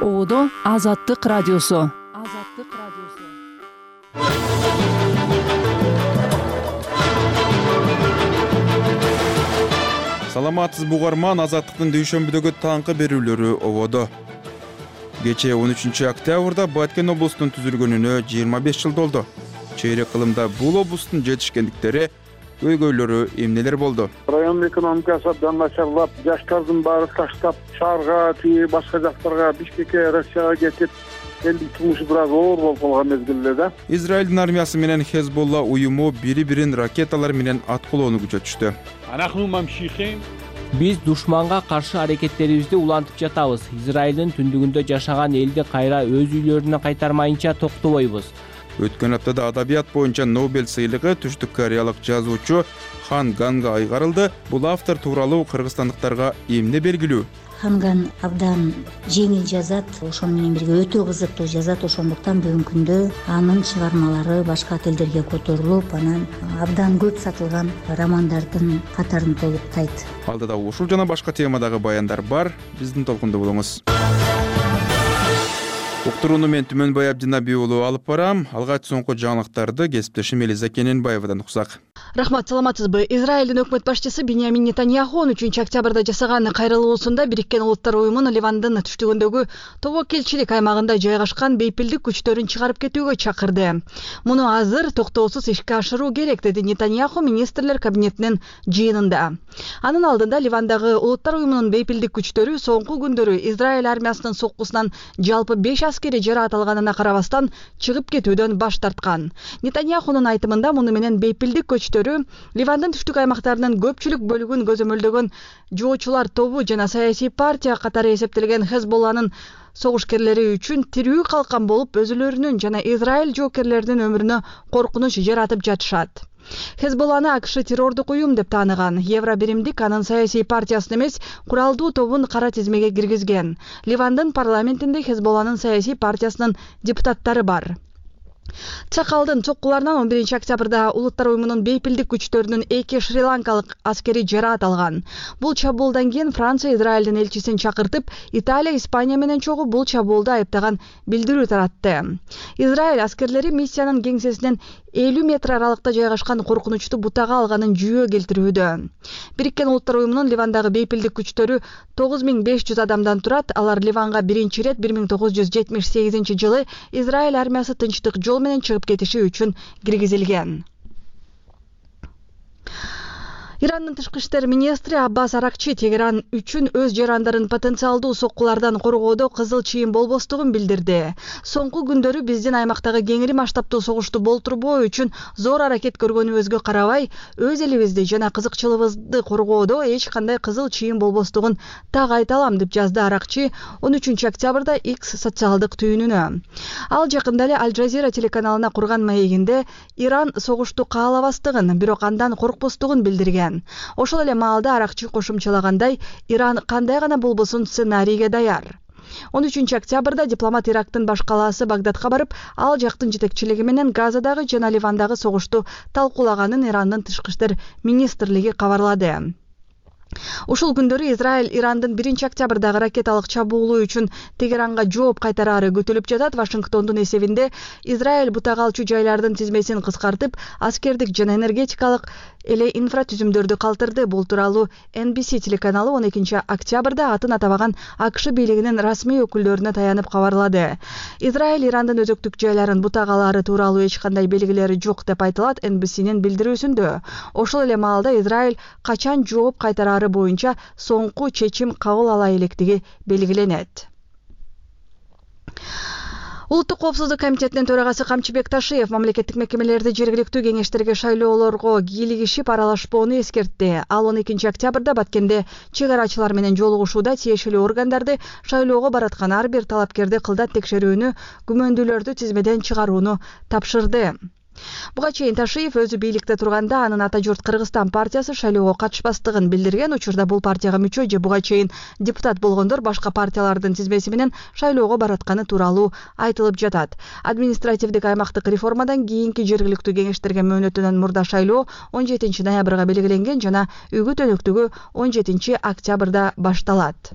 Оодо Азаттык радиосу. Саламатсыз бугарман, Азаттыктын дүйшөмбүдөгү таңкы берүүлөрү ободо. Кечээ 13 октябрда Баткен облусунун түзүлгөнүнө 25 жыл толду. Чейрек кылымда бул облустун жетишкендиктери, көйгөйлөрү эмнелер болду? Район экономикасы абдан начарлап, жаштардын баары таштап, шаарга, башка жактарга, Бишкекке, Россияга кетип, элдин турмушу бир аз оор болуп калган мезгилде да. Израилдин армиясы менен Хезболла уюму бири-бирин ракеталар менен аткылоону күчөтүштү. Биз душманга каршы аракеттерибизди улантып жатабыз. Израилдин түндүгүндө жашаган элди кайра өз үйлөрүнө кайтармайынча токтобойбуз. Өткөн аптада адабият боюнча Нобель сыйлыгы түштүк кореялык жазуучу Хан Ганга айгарылды. Бул автор тууралуу кыргызстандыктарга эмне белгилүү? Ханган абдан жеңил жазат, ошону менен бирге өтө кызыктуу жазат. Ошондуктан бүгүнкү күндө анын чыгармалары башка тилдерге которулуп, анан абдан көп сатылган романдардын катарын толуктайт. Алдыда ушул жана башка темадагы баяндар бар. Биздин толкунда болуңуз. Уктурууну мен Түмөнбай Абдинабий уулу алып барам. Алгач соңку жаңылыктарды кесиптешим Элиза Кененбаевадан уксак. Рахмат, саламатсызбы? Израилдин өкмөт башчысы Биньямин Нетаньяху 13 октябрда жасаган кайрылуусунда Бириккен Улуттар уюмун Ливандын түштүгүндөгү тобокелчилик аймагында жайгашкан бейпилдик күчтөрүн чыгарып кетүүгө чакырды. Муну азыр токтоосуз ишке ашыруу керек, деди Нетаньяху министрлер кабинетинин жыйынында. Анын алдында Ливандагы Улуттар уюмунун бейпилдик күчтөрү соңку күндөрү Израиль армиясынын соккусунан жалпы 5 аскери жараат алганына карабастан чыгып кетүүдөн баш тарткан. Нетаньяхунун айтымында муну менен бейпилдик көчтөрү Ливандын түштүк аймактарынын көпчүлүк бөлүгүн көзөмөлдөгөн жоочулар тобу жана саясий партия катары эсептелген Хезболланын согушкерлери үчүн тирүү калкан болуп, өзүлөрүнүн жана Израиль жоокерлеринин өмүрүнө коркунуч жаратып жатышат. Хезболланы АКШ террордук уюм деп тааныган. Евробиримдик анын саясий партиясын эмес, куралдуу тобун кара тизмеге киргизген. Ливандын парламентинде Хезболланын саясий партиясынын депутаттары бар. Цакалдын чоккуларынан 11 октябрда Улуттар уюмунун бейпилдик күчтөрүнүн 2 шри-ланкалык аскери жараат алган. Бул чабуулдан кийин Франция Израилдин элчисин чакыртып, Италия, Испания менен чогуу бул чабуулду айыптаган билдирүү таратты. Израиль аскерлери миссиянын кеңсесинен 50 метр аралыкта жайгашкан коркунучту бутага алганын жүйө келтирүүдө. Бириккен Улуттар уюмунун Ливандагы бейпилдик күчтөрү 9500 адамдан турат. Алар Ливанга биринчи ирет 1978 жылы Израиль армиясы тынчтык жол менен чыгып кетиши үчүн киргизилген. Ирандын тышкы иштер министри Аббас Аракчи Тегеран үчүн өз жарандарын потенциалдуу соккулардан коргоодо кызыл чыйын болбостугун билдирди. Соңку күндөрү биздин аймактагы кеңири масштабтуу согушту болтурбоо үчүн зор аракет көргөнүбүзгө карабай, өз элибизди жана кызыкчылыгыбызды коргоодо эч кандай кызыл чыйын болбостугун так айта алам, деп жазды Аракчи 13 октябрда X социалдык түйүнүнө. Ал жакында эле Аль Джазира телеканалына курган маегинде Иран согушту каалабастыгын, бирок андан коркпостугун билдирген. Ошол эле маалда Аракчы кошумчалагандай, Иран кандай гана болбосун сценарийге даяр. 13 октябрда дипломат Ирактын баш калаасы Багдадка барып, ал жактын жетекчилиги менен Газадагы жана Ливандагы согушту талкуулаганын Ирандын тышкы иштер министрлиги кабарлады. Ушул күндөрү Израиль Ирандын 1 октябрдагы ракеталык чабуулу үчүн Тегеранга жооп кайтарары күтүлүп жатат. Вашингтондун эсебинде Израиль бутага алчу жайлардын тизмесин кыскартып, аскердик жана энергетикалык эле инфратүзүмдөрдү калтырды. Бул тууралуу NBC телеканалы 12 октябрда атын атабаган АКШ бийлигинин расмий өкүлдөрүнө таянып кабарлады. Израиль Ирандын өзөктүк жайларын бутагалары тууралуу эч кандай белгилери жок деп айтылат NBCнин билдирүүсүндө. Ошол эле маалда Израиль качан жооп кайтарары боюнча соңку чечим кабыл ала электиги белгиленет. Улуттук коопсуздук комитетинин төрагасы Камчыбек Ташиев мамлекеттик мекемелерди жергиликтүү кеңештерге шайлоолорго кийлигишип аралашпоону эскертти. Ал 12 октябрда Баткенде чек арачылар менен жолугушууда тиешелүү органдарды шайлоого бараткан ар бир талапкерди кылдат текшерүүнү, күмөндүүлөрдү тизмеден чыгарууну тапшырды. Буга чейин Ташиев өзү бийликте турганда анын ата журт Кыргызстан партиясы шайлоого катышпастыгын билдирген. Учурда бул партияга мүчө же буга чейин депутат болгондор башка партиялардын тизмеси менен шайлоого баратканы тууралуу айтылып жатат. Административдик аймактык реформадан кийинки жергиликтүү кеңештерге мөөнөтүнөн мурда шайлоо 17 ноябрга белгиленген жана үгүт өнөктүгү 17 октябрда башталат.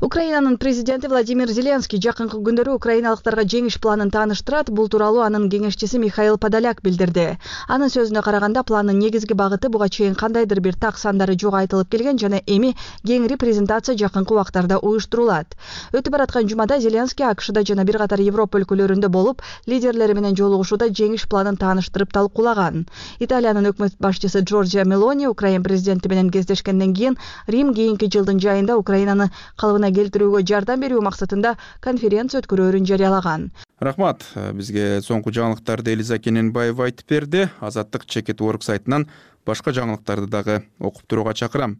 Украинанын президенти Владимир Зеленский жакынкы күндөрү украиналыктарга жеңиш планын тааныштырат. Бул тууралуу анын кеңешчиси Михаил Подоляк билдирди. Анын сөзүнө караганда, пландын негизги багыты буга чейин кандайдыр бир так сандары жок айтылып келген жана эми кеңири презентация жакынкы убактарда уюштурулат. Өтүп бараткан жумада Зеленский АКШда жана бир катар Европа өлкөлөрүндө болуп, лидерлери менен жолугушууда жеңиш планын тааныштырып талкуулаган. Италиянын өкмөт башчысы Джорджиа Мелони Украин президенти менен кездешкенден кийин Рим кийинки жылдын жайында Украинаны калыбына келтирүүгө жардам берүү максатында конференция өткөрөөрүн жарыялаган. Рахмат. Бизге соңку жаңылыктарды Элиза Кененбаева айтып берди. Азаттык Чекет.org сайтынан башка жаңылыктарды дагы окуп турууга чакырам.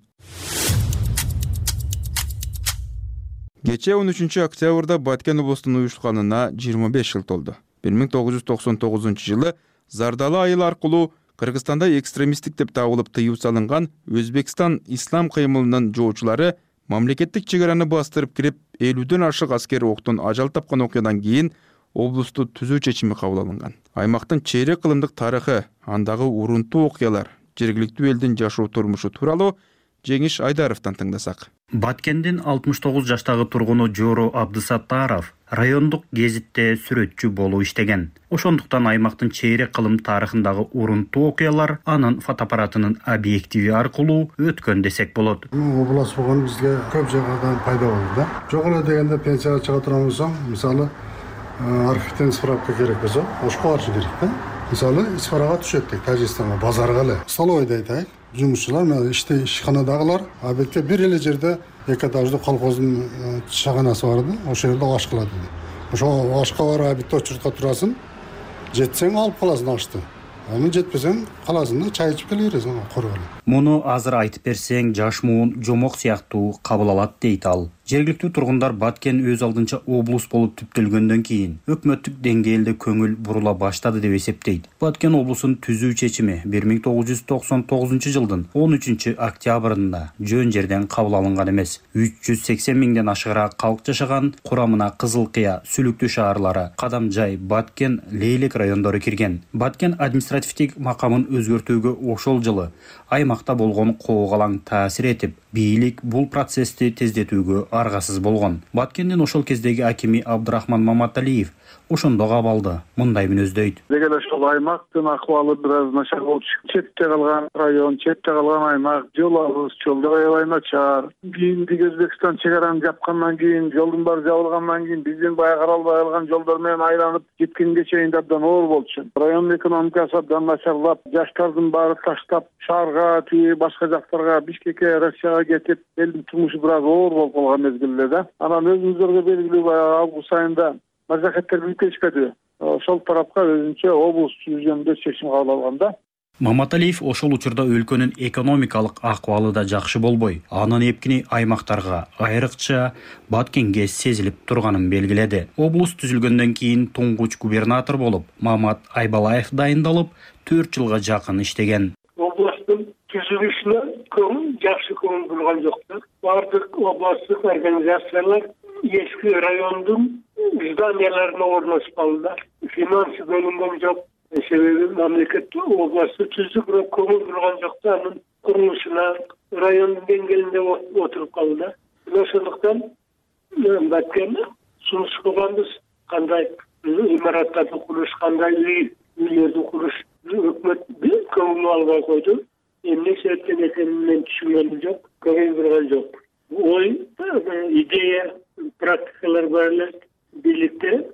Кечээ 13 октябрда Баткен облусунун уюшканына 25 жыл толду. 1999 жылы Зардалы айыл аркылуу Кыргызстанда экстремисттик деп табылып тыюу салынган Өзбекстан ислам кыймылынын жоочулары мамлекеттик чегараны бастырып кирип 50дөн ашык аскер октон ажал тапкан окуядан кийин облусту түзүү чечими кабыл алынган. Аймактын чейрек кылымдык тарыхы, андагы урунтуу окуялар, жергиликтүү элдин жашоо турмушу тууралуу Жеңиш Айдаровдон тыңдасак. Баткендин 69 жаштагы тургуну Жоро Абдысаттаров райондук гезитте сүрөтчү болуп иштеген. Ошондуктан аймактын чейрек кылым тарыхындагы урунтуу окуялар анын фотоаппаратынын объективи аркылуу өткөн десек болот. Облас болгон бизге көп жагдан пайда болду да. Жок эле дегенде пенсияга чыга турган болсоң, мисалы архивден справка керек болсо, ошко барыш керек да. Мисалы исфарага түшөт дейт, Тажикстанга, базарга эле. Столовойдо айтайык, жумушчулар менен ишканадагылар абетке бир эле жерде эки этаждуу колхоздун чыганасы бар да, ошол жерде аш кылат dedi. Ошо ашка барып абетте очуртка турасың, жетсең алып каласың ашты. Аны жетпесең каласың да, чай ичип келе бересиң коргол. Муну азыр айтып берсең, жаш муун жомок сыяктуу кабыл алат дейт ал. Жергиликтүү тургундар Баткен өз алдынча облус болуп түптөлгөндөн кийин өкмөттүк деңгээлде көңүл бурула баштады деп эсептейт. Баткен облусун түзүү чечими 1999 жылдын 13 октябрында жөн жерден кабыл алынган эмес. 380 миңден ашыгыраак калк жашаган, курамына Кызыл Кыя, Сүлүктүү шаарлары, Кадамжай, Баткен, Лейлек райондору кирген. Баткен административдик макамын өзгөртүүгө ошол жылы аймакта болгон коогалаң таасир этип, бийлик бул процессти тездетүүгө аргасыз болгон. Баткендин ошол кездеги акими Абдырахман Маматалиев ошондо кабалды мындай мүнөздөйт. Деги эле ошол аймактын акыбалы бир аз начар болчу. Четте калган район, четте калган аймак, жолубуз, жолдор аябай начар. Кийинки Өзбекстан чегараны жапкандан кийин, жолдун баары жабылгандан кийин биздин баягы каралбай калган жолдор менен айланып кеткенге чейин абдан оор болчу. Райондун экономикасы абдан начарлап, жаштардын баары таштап, шаарга, башка жактарга, Бишкекке, Россияга кетип, элдин турмушу бир аз оор болуп калган мезгилде да. Анан өзүңүздөргө белгилүү баягы август айында мажахеттер билкешпеди. Ошол тарапка өзүнчө облус түзүүгөндө чечим кабыл алган да. Маматалиев ошол учурда өлкөнүн экономикалык акыбалы да жакшы болбой, анын эпкини аймактарга, айрыкча Баткенге сезилип турганын белгиледи. Облус түзүлгөндөн кийин туңгуч губернатор болуп Мамат Айбалаев дайындалып, 4 жылга жакын иштеген. Областын түзүлүшүнө жакшы көңүл бурган жоктур. Бардык областтык организациялар эски райондун зданияларына орношпалды. Финансы бөлүнгөн жок. Себеби мамлекет областты түздүк, бирок көңүл бурган жок. Анын курулушуна райондун деңгээлинде отуруп калды. Ошондуктан Баткен сунуш кылганбыз, кандай имараттарды куруш, кандай үйлөрдү куруш өкмөт көңүл албай койду. Эмне себептен экенин мен түшүнгөнүм жок, көңүл бурган жок. Ой, идея, практикалар бар эле, бийликте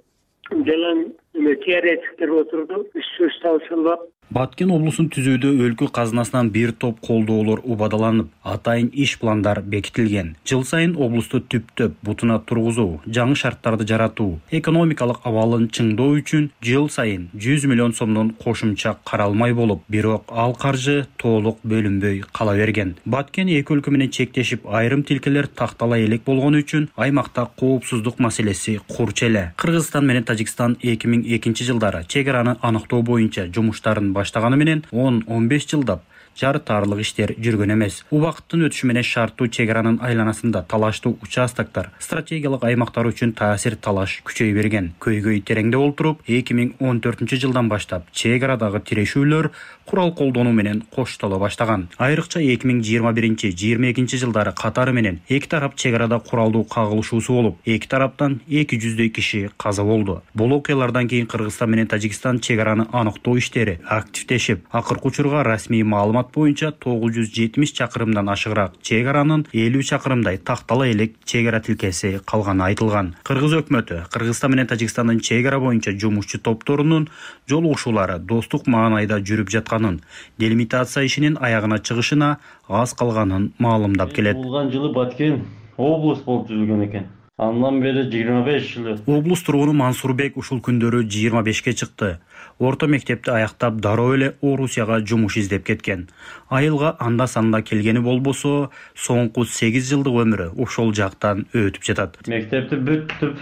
жалаң теоретиктер отурду, сөз талшылап. Баткен облусун түзүүдө өлкө казынасынан бир топ колдоолор убадаланып, атайын иш пландар бекитилген. Жыл сайын облусту түптөп бутуна тургузуу, жаңы шарттарды жаратуу, экономикалык абалын чыңдоо үчүн жыл сайын 100 миллион сомдон кошумча каралмай болуп, бирок ал каржы толук бөлүнбөй кала берген. Баткен эки өлкө менен чектешип, айрым тилкелер тактала элек болгону үчүн аймакта коопсуздук маселеси курч эле. Кыргызстан менен Тажикстан 2002 жылдары чек араны аныктоо боюнча жумуштарын баштаганы менен 10-15 жылдап жарытарлык иштер жүргөн эмес. Убакыттын өтүшү менен шарттуу чек аранын айланасында талаштуу участоктор стратегиялык аймактар үчүн таасир талаш күчөй берген. Көйгөй тереңде олтуруп 2014-жылдан баштап чек арадагы тирешүүлөр курал колдонуу менен коштоло баштаган. Айрыкча 2021-22 жылдары катары менен эки тарап чек арада куралдуу кагылышуусу болуп, эки тараптан 200 киши каза болду. Бул окуялардан кийин Кыргызстан менен Тажикстан чек араны аныктоо иштери активдешип, акыркы учурга расмий маалымат боюнча 970 чакырымдан ашыгыраак чек аранын 50 чакырымдай тактала элек чек ара тилкеси калганы айтылган. Кыргыз өкмөтү Кыргызстан менен Тажикстандын чек ара боюнча жумушчу топторунун жолугушуулары достук маанайда жүрүп жатканын, делимитация ишинин аягына чыгышына аз калганын маалымдап келет. Болгон жылы Баткен облус болуп түзүлгөн экен. Андан бери 25 жыл. Облус тургуну Мансурбек ушул күндөрү 25ке чыкты. Орто мектепти аяктап дароо эле Орусияга жумуш издеп кеткен. Айылга анда-санда келгени болбосо, соңку 8 жылдык өмүрү ошол жактан өтүп жатат. Мектепти бүтүп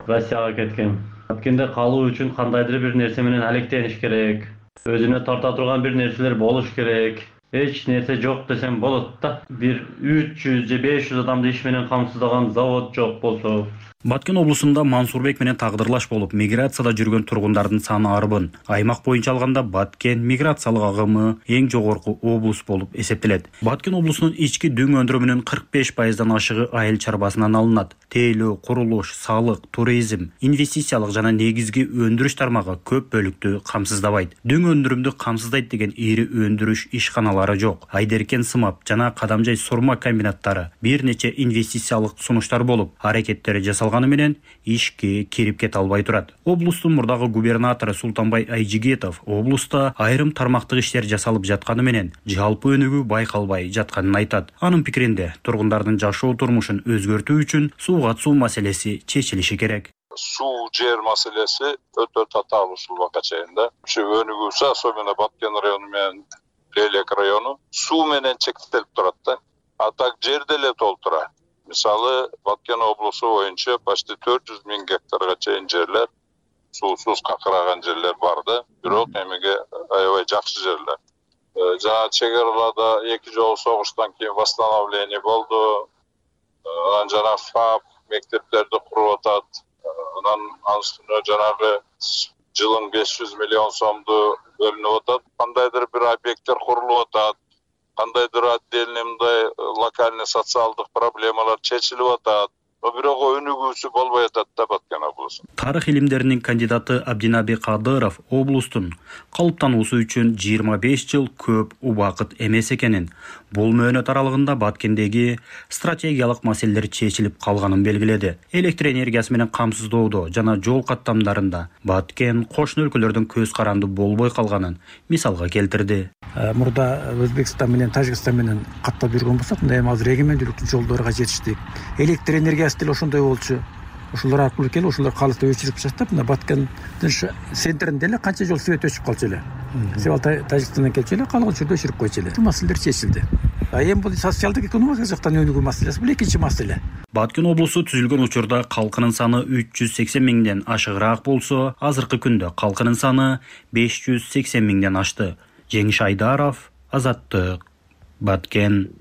Россияга кеткен. Баткенде калуу үчүн кандайдыр бир нерсе менен алектениш керек. Өзүнө тарта турган бир нерселер болуш керек. Эч нерсе жок десем болот да. Бир 300 же 500 адамды иш менен камсыздаган завод жок болсо. Баткен облусунда Мансурбек менен тагдырлаш болуп, миграцияда жүргөн тургундардын саны арбын. Аймак боюнча алганда Баткен миграциялык агымы эң жогорку облус болуп эсептелет. Баткен облусунун ички дүң өндүрүмүнүн 45%дан ашыгы айыл чарбасынан алынат. Тейлөө, курулуш, салык, туризм, инвестициялык жана негизги өндүрүш тармагы көп бөлүктү камсыздабайт. Дүң өндүрүмдү камсыздайт деген ири өндүрүш ишканалары жок. Айдеркен сымап жана Кадамжай сурма комбинаттары бир нече инвестициялык сунуштар болуп, аракеттери жасалганы менен ишке кирип кете албай турат. Облустун мурдагы губернатору Султанбай Айжигетов облуста айрым тармактык иштер жасалып жатканы менен жалпы өнүгүү байкалбай жатканын айтат. Анын пикиринде, тургундардын жашоо турмушун өзгөртүү үчүн сууга суу маселеси чечилиши керек. Суу жер маселеси өтө татаал ушул убакка чейин да. Ушу өнүгүүсү, особенно Баткен району менен Лелек району суу менен чектелип турат да. А так жерде эле толтура. Мисалы, Баткен облусу боюнча почти 400 000 гектарга чейин жерлер суусуз какыраган жерлер бар да. Бирок эмеге аябай жакшы жерлер. Жана чек араларда эки жолу согуштан кийин восстановление болду. Анан жана ФАП мектептерди куруп атат. Анан астына жанагы жылын 500 миллион сомду бөлүнүп атат. Кандайдыр бир объекттер курулуп атат. Кандайдыр отдельный мындай локальный социалдык проблемалар чечилип атат. Бирок өнүгүүсү болбой атат да Баткен облусу. Тарых илимдеринин кандидаты Абдинаби Кадыров облустун калыптануусу үчүн 25 жыл көп убакыт эмес экенин, бул мөөнөт аралыгында Баткендеги стратегиялык маселелер чечилип калганын белгиледи. Электр энергиясы менен камсыздоодо жана жол каттамдарында Баткен кошуна өлкөлөрдүн көз каранды болбой калганын мисалга келтирди. Мурда Өзбекстан менен Тажикстан менен каттап жүргөн болсок, мындай эми азыр эгемендүүлүктүн жолдорго жетиштик. Электр энергиясы деле ошондой болчу. Ошолор аркылуу келип, ошолор калыкты өчүрүп таштап, мына Баткендин центринде эле канча жол свет өчүп калчу эле. Себеби Тажикстандан келчү эле, калган учурда өчүрүп койчу эле. Бул маселелер чечилди. Эми бул социалдык экономикалык жактан өнүгүү маселеси, бул экинчи маселе. Баткен облусу түзүлгөн учурда калкынын саны 380 миңден ашыгыраак болсо, азыркы күндө калкынын саны 580 миңден ашты. Жеңиш Айдаров, Азаттык, Баткен.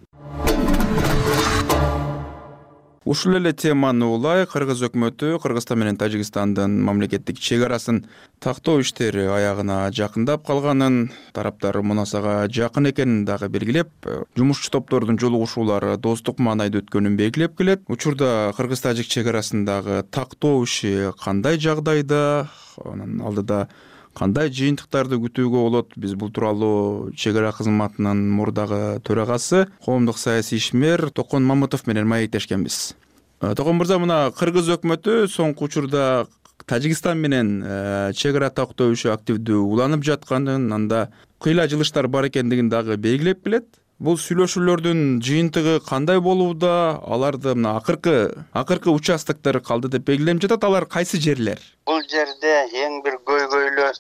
Ушул эле теманы улай Кыргыз өкмөтү Кыргызстан менен Тажикстандын мамлекеттик чек арасын тактоо иштери аягына жакындап калганын, тараптар мунасага жакын экенин дагы белгилеп, жумушчу топтордун жолугушуулары достук маанайда өткөнүн белгилеп келет. Учурда Кыргыз-Тажик чек арасындагы тактоо иши кандай жагдайда, анын алдыда кандай жыйынтыктарды күтүүгө болот? Биз бул тууралуу чек ара кызматынын мурдагы төрагасы, коомдук саясий ишмер Токон Мамытов менен маектешкенбиз. Токон мырза, мына Кыргыз өкмөтү соңку учурда Тажикстан менен чек ара тактоо иши активдүү уланып жатканын, анда кыйла жылыштар бар экендигин дагы белгилеп келет. Бул сүйлөшүүлөрдүн жыйынтыгы кандай болууда? Аларды мына акыркы участоктор калды деп белгиленип жатат. Алар кайсы жерлер? Бул жерде эң бир көйгөйлүү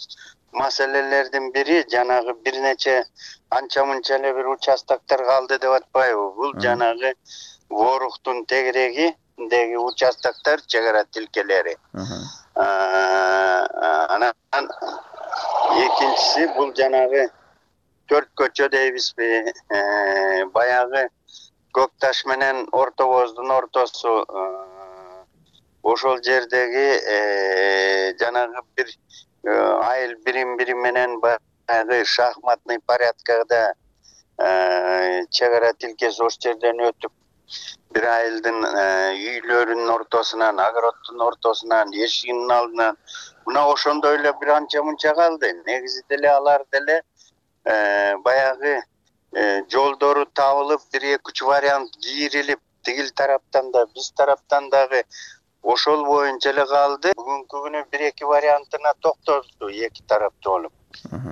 маселелердин бири жанагы бир нече анча-мынча эле бир участоктор калды деп атпайбы? Бул жанагы Воруктун тегерегиндеги участоктор чек ара тилкелери. Анан экинчиси бул жанагы 4 көчө дейбизби, баягы Көк Таш менен Орто Боздун ортосу, ошол жердеги жанагы бир айыл бири менен баягы шахматный порядкада чек ара тилкеси ошол жерден өтүп, бир айылдын үйлөрүнүн ортосунан, огороддун ортосунан, эшигинин алдынан мына ошондой эле бир анча мынча калды. Негизи деле алар деле баягы жолдору табылып, 1-2 вариант кийрилип, тигил тараптан да, биз тараптан дагы ошол боюнча эле калды. Бүгүнкү күнү 1-2 вариантына токтолду эки тарапты болуп.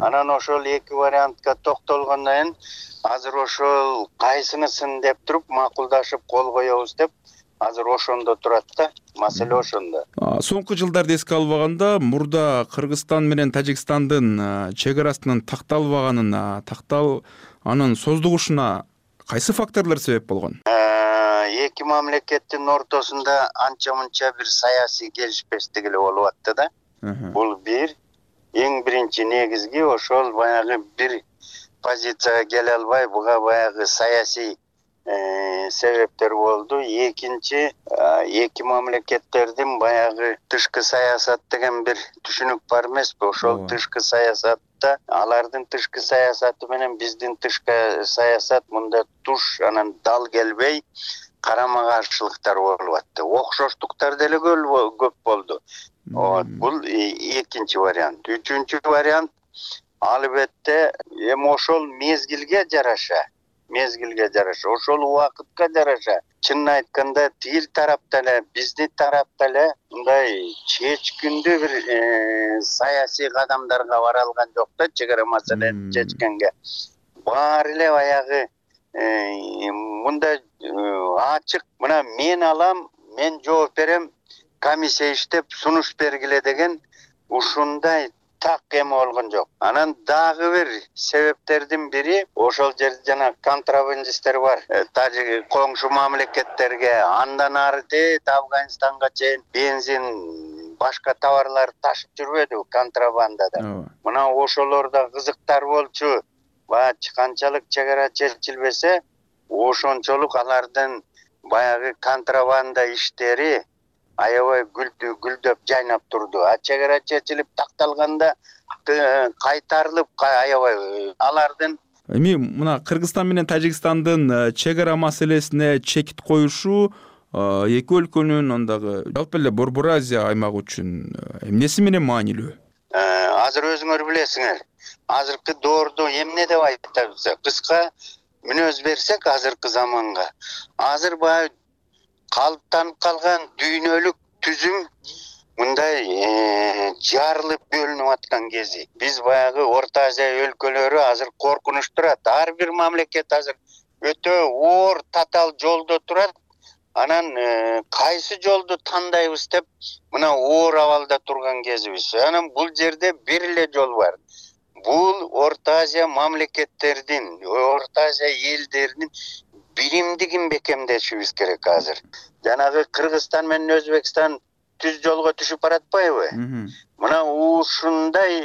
Анан ошол 2 вариантка токтолгондон кийин азыр ошол кайсынысын деп туруп макулдашып кол коебуз деп азыр ошондо турат да. Маселе ошондо. Соңку жылдарды эске албаганда, мурда Кыргызстан менен Тажикстандын чек арасынын такталбаганына, анын создугушуна кайсы факторлор себеп болгон? Эки мамлекеттин ортосунда анча мынча бир саясий келишпестик эле болуп атты да. Бул бир. Эң биринчи негизги ошол баягы бир позицияга келе албай, буга баягы саясий себептер болду. Экинчи, эки мамлекеттердин баягы тышкы саясат деген бир түшүнүк бар эмеспи? Ошол тышкы саясатта алардын тышкы саясаты менен биздин тышкы саясат мында туш, анан дал келбей, карама каршылыктар болуп атты. Окшоштуктар деле көп болду. Бул экинчи вариант. Үчүнчү вариант албетте эми ошол мезгилге жараша, ошол убакытка жараша. Чынын айтканда тигил тарапта эле, биздин тарапта эле мындай чечкиндүү бир саясий кадамдарга бара алган жок да, чек ара маселени чечкенге. Баары эле баягы мындай ачык, мына мен алам, мен жооп берем, комиссия иштеп сунуш бергиле деген ушундай так эме болгон жок. Анан дагы бир себептердин бири ошол жерде жана контрабандисттер бар. Тажик коңшу мамлекеттерге, андан ары Афганистанга чейин бензин, башка товарлар ташып жүрбөдү контрабандада. Мына ошолор да кызыктар болчу. Канчалык чек ара чечилбесе, ошончолук алардын баягы контрабанда иштери аябай гүлдөп жайнап турду. Чек ара чечилип такталганда кайтарылып аябай алардын эми мына Кыргызстан менен Тажикстандын чек ара маселесине чекит коюшу эки өлкөнүн андагы жалпы эле Борбор Азия аймагы үчүн эмнеси менен маанилүү? Азыр өзүңөр билесиңер, азыркы доордо эмне деп айтабыз? Кыска мүнөз берсек азыркы заманга, азыр баягы калыптанып калган дүйнөлүк түзүм мындай жарылып бөлүнүп аткан кези. Биз баягы Орто Азия өлкөлөрү азыр коркунуч турат. Ар бир мамлекет азыр өтө оор татаал жолдо турат. Анан кайсы жолду тандайбыз деп мына оор абалда турган кезибиз. Анан бул жерде бир эле жол бар. Бул Орто Азия мамлекеттердин, Орто Азия элдеринин биримдигин бекемдешибиз керек азыр. Жанагы Кыргызстан менен Өзбекстан түз жолго түшүп баратпайбы? Мына ушундай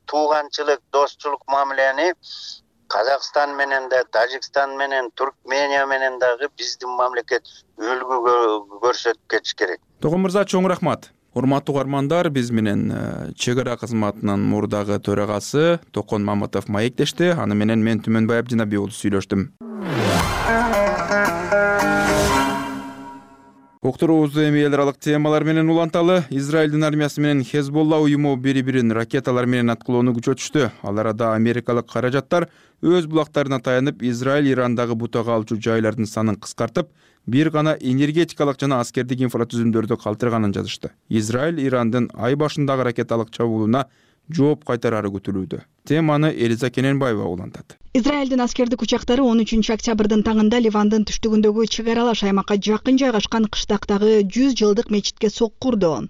тууганчылык, достчулук мамилени Казакстан менен да, Тажикстан менен, Туркмения менен дагы биздин мамлекет үлгү көрсөтүп кетиш керек. Тогон мырза, чоң рахмат. Урматтуу угармандар, биз менен чек ара кызматынын мурдагы төрагасы Токон Маматов маектешти. Аны менен мен Түмөнбай Абдинабий уулу сүйлөштүм. Уктуруубузду эми эл аралык темалар менен уланталы. Израилдин армиясы менен Хезболла уюму бири-бирин ракеталар менен аткылоону күчөтүштү. Ал арада америкалык каражаттар өз булактарына таянып, Израиль Ирандагы бутага алчу жайлардын санын кыскартып, бир гана энергетикалык жана аскердик инфратүзүмдөрдү калтырганын жазышты. Израиль Ирандын ай башындагы ракеталык чабуулуна жооп кайтарары күтүлүүдө. Теманы Элиза Кененбаева улантат. Израилдин аскердик учактары 13 октябрдын таңында Ливандын түштүгүндөгү чек аралаш аймакка жакын жайгашкан кыштактагы 100 жылдык мечитке сокку урду.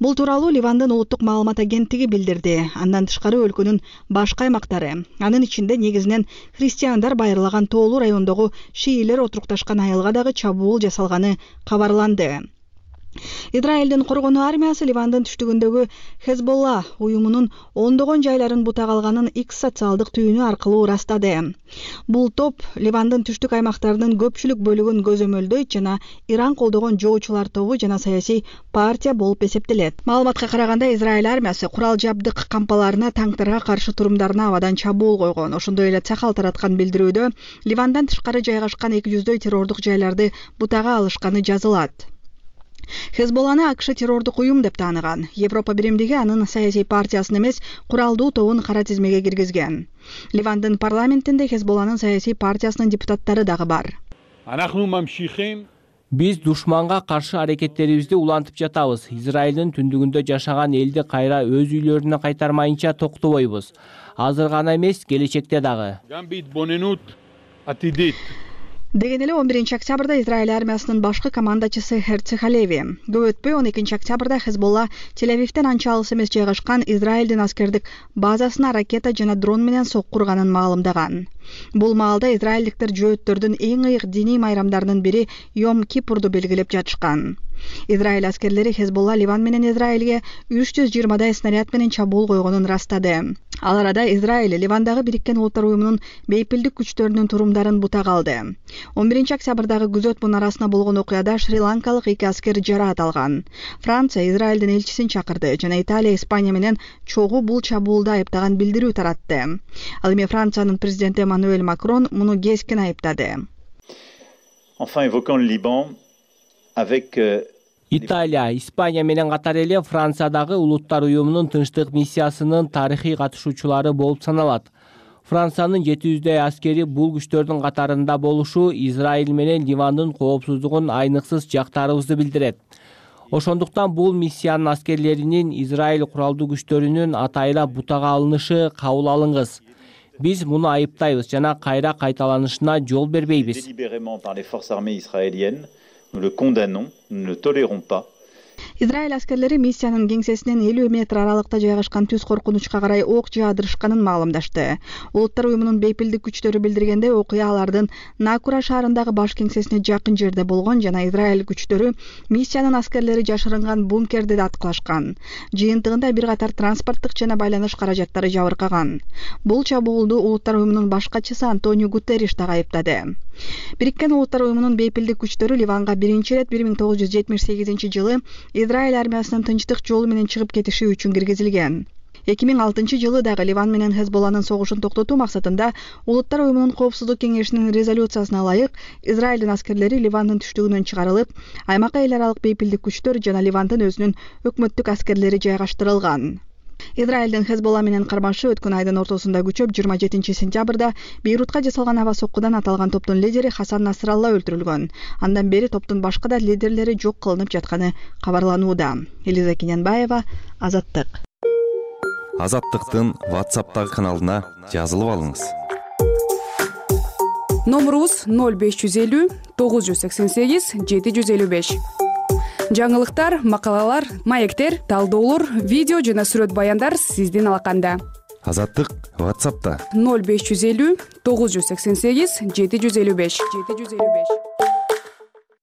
Бул тууралуу Ливандын улуттук маалымат агенттиги билдирди. Андан тышкары өлкөнүн башка аймактары, анын ичинде негизинен христиандар байырлаган тоолуу райондогу шиилер отурукташкан айылга дагы чабуул жасалганы кабарланды. Израилдин коргонуу армиясы Ливандын түштүгүндөгү Хезболла уюмунун ондогон жайларын бутак алганын X социалдык түйүнү аркылуу ырастады. Бул топ Ливандын түштүк аймактарынын көпчүлүк бөлүгүн көзөмөлдөйт жана Иран колдогон жоочулар тобу жана саясий партия болуп эсептелет. Маалыматка караганда Израиль армиясы курал жабдык кампаларына, танктарга каршы турумдарына абадан чабуул койгон. Ошондой эле Цахал тараткан билдирүүдө Ливандан тышкары жайгашкан 200дөй террордук жайларды бутага алышканы жазылат. Хезболланы АКШ террордук уюм деп тааныган. Европа биримдиги анын саясий партиясын эмес, куралдуу тобун кара тизмеге киргизген. Ливандын парламентинде Хезболланын саясий партиясынын депутаттары дагы бар. Биз душманга каршы аракеттерибизди улантып жатабыз. Израилдин түндүгүндө жашаган элди кайра өз үйлөрүнө кайтармайынча токтобойбуз. Азыр гана эмес, келечекте дагы. Деген эле 11-октябрда Израиль армиясынын башкы командачысы Херци Халеви. Көп өтпөй 12-октябрда Хезболла Тель-Авивден анча алыс эмес жайгашкан Израилдин аскердик базасына ракета жана дрон менен соккурганын маалымдаган. Бул маалда израилдиктер жөөттөрдүн эң ыйык диний майрамдарынын бири Йом Кипурду белгилеп жатышкан. Израиль аскерлери Хезболла Ливан менен Израилге 320дай снаряд менен чабуул койгонун ырастады. Ал арада Израиль Ливандагы Бириккен Улуттар уюмунун бейпилдик күчтөрүнүн турумдарын бутак алды. 11-октябрдагы күзөт мунарасына болгон окуяда шри-ланкалык 2 аскер жараат алган. Франция Израилдин элчисин чакырды жана Италия Испания менен чогуу бул чабуулда айыптаган билдирүү таратты. Ал эми Франциянын президенти Эммануэль Макрон муну кескин айыптады. Enfin évoquant le Liban avec Италия, Испания менен катар эле Франциядагы Улуттар уюмунун тынчтык миссиясынын тарыхый катышуучулары болуп саналат. Франциянын 700дөй аскери бул күчтөрдүн катарында болушу Израиль менен Ливандын коопсуздугун айныксыз жактаарыбызды билдирет. Ошондуктан бул миссиянын аскерлеринин Израиль куралдуу күчтөрүнүн атайла бутага алынышы кабыл алынгыс. Биз муну айыптайбыз жана кайра кайталанышына жол бербейбиз. Nous le condamnons, nous ne le tolérons pas. Израиль аскерлери миссиянын кеңсесинен 50 метр аралыкта жайгашкан түз коркунучка карай ок жаадырышканын маалымдашты. Улуттар уюмунун бейпилдик күчтөрү билдиргенде окуя алардын Накура шаарындагы баш кеңсесине жакын жерде болгон жана Израиль күчтөрү миссиянын аскерлери жашырынган бункерди да аткылашкан. Жыйынтыгында бир катар транспорттук жана байланыш каражаттары жабыркаган. Бул чабуулду Улуттар уюмунун баш катчысы Антонио Гутерриш да айыптады. Бириккен Улуттар уюмунун бейпилдик күчтөрү Ливанга биринчи ирет 1978-жылы Израиль армиясынын тынчтык жолу менен чыгып кетиши үчүн киргизилген. 2006-жылы дагы Ливан менен Хезболланын согушун токтотуу максатында Улуттар уюмунун коопсуздук кеңешинин резолюциясына ылайык Израилдин аскерлери Ливандын түштүгүнөн чыгарылып, аймакка эл аралык бейпилдик күчтөр жана Ливандын өзүнүн өкмөттүк аскерлери жайгаштырылган. Израилдин Хезболла менен кармашы өткөн айдын ортосунда күчөп 27-сентябрда Бейрутка жасалган аба соккудан аталган топтун лидери Хасан Насралла өлтүрүлгөн. Андан бери топтун башка да лидерлери жок кылынып жатканы кабарланууда. Элиза Кененбаева, Азаттык. Азаттыктын WhatsApp'тагы каналына жазылып алыңыз. Номерубуз 0550 988 755. Жаңылыктар, макалалар, маектер, талдоолор, видео жана сүрөт баяндар сиздин алаканда. Азаттык WhatsApp'та 0550 988 755.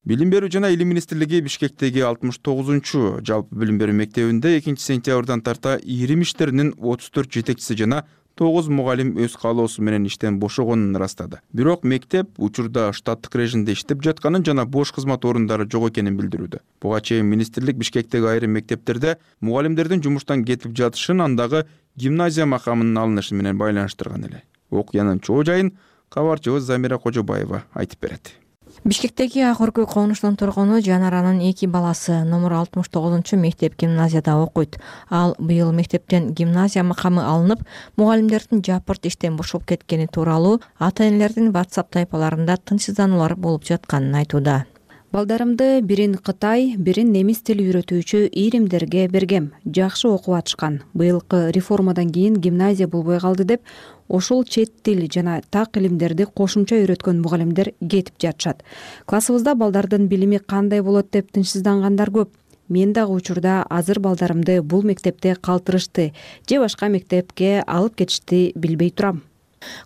Билим берүү жана илим министрлиги Бишкектеги 69-чу жалпы билим берүү мектебинде 2-сентябрдан тарта ирим иштеринин 34 жетекчиси жана 9 мугалим өз каалоосу менен иштен бошогонун ырастады. Бирок мектеп учурда штаттык режимде иштеп жатканын жана бош кызмат орундары жок экенин билдирүүдө. Буга чейин министрлик Бишкектеги айрым мектептерде мугалимдердин жумуштан кетип жатышын, андагы гимназия макамынын алынышы менен байланыштырган эле. Окуянын чоо жайын кабарчыбыз Замира Кожобаева айтып берет. Бишкектеги акыркы конуштун тургуну Жанаранын 2 баласы номер 69-чу мектеп гимназияда окуйт. Ал быйыл мектептен гимназия макамы алынып, мугалимдердин жапырт иштен бошоп кеткени тууралуу ата-энелердин WhatsApp тайпаларында тынчсыздануулар болуп жатканын айтууда. Балдарымды бирин Кытай, бирин немис тил үйрөтүүчү иримдерге бергем. Жакшы окуп атышкан. Быйылкы реформадан кийин гимназия болбой калды деп, ошол чет тил жана так илимдерди кошумча үйрөткөн мугалимдер кетип жатышат. Классыбызда балдардын билими кандай болот деп тынчсыздангандар көп. Мен дагы учурда азыр балдарымды бул мектепте калтырышты же башка мектепке алып кетишти билбей турам.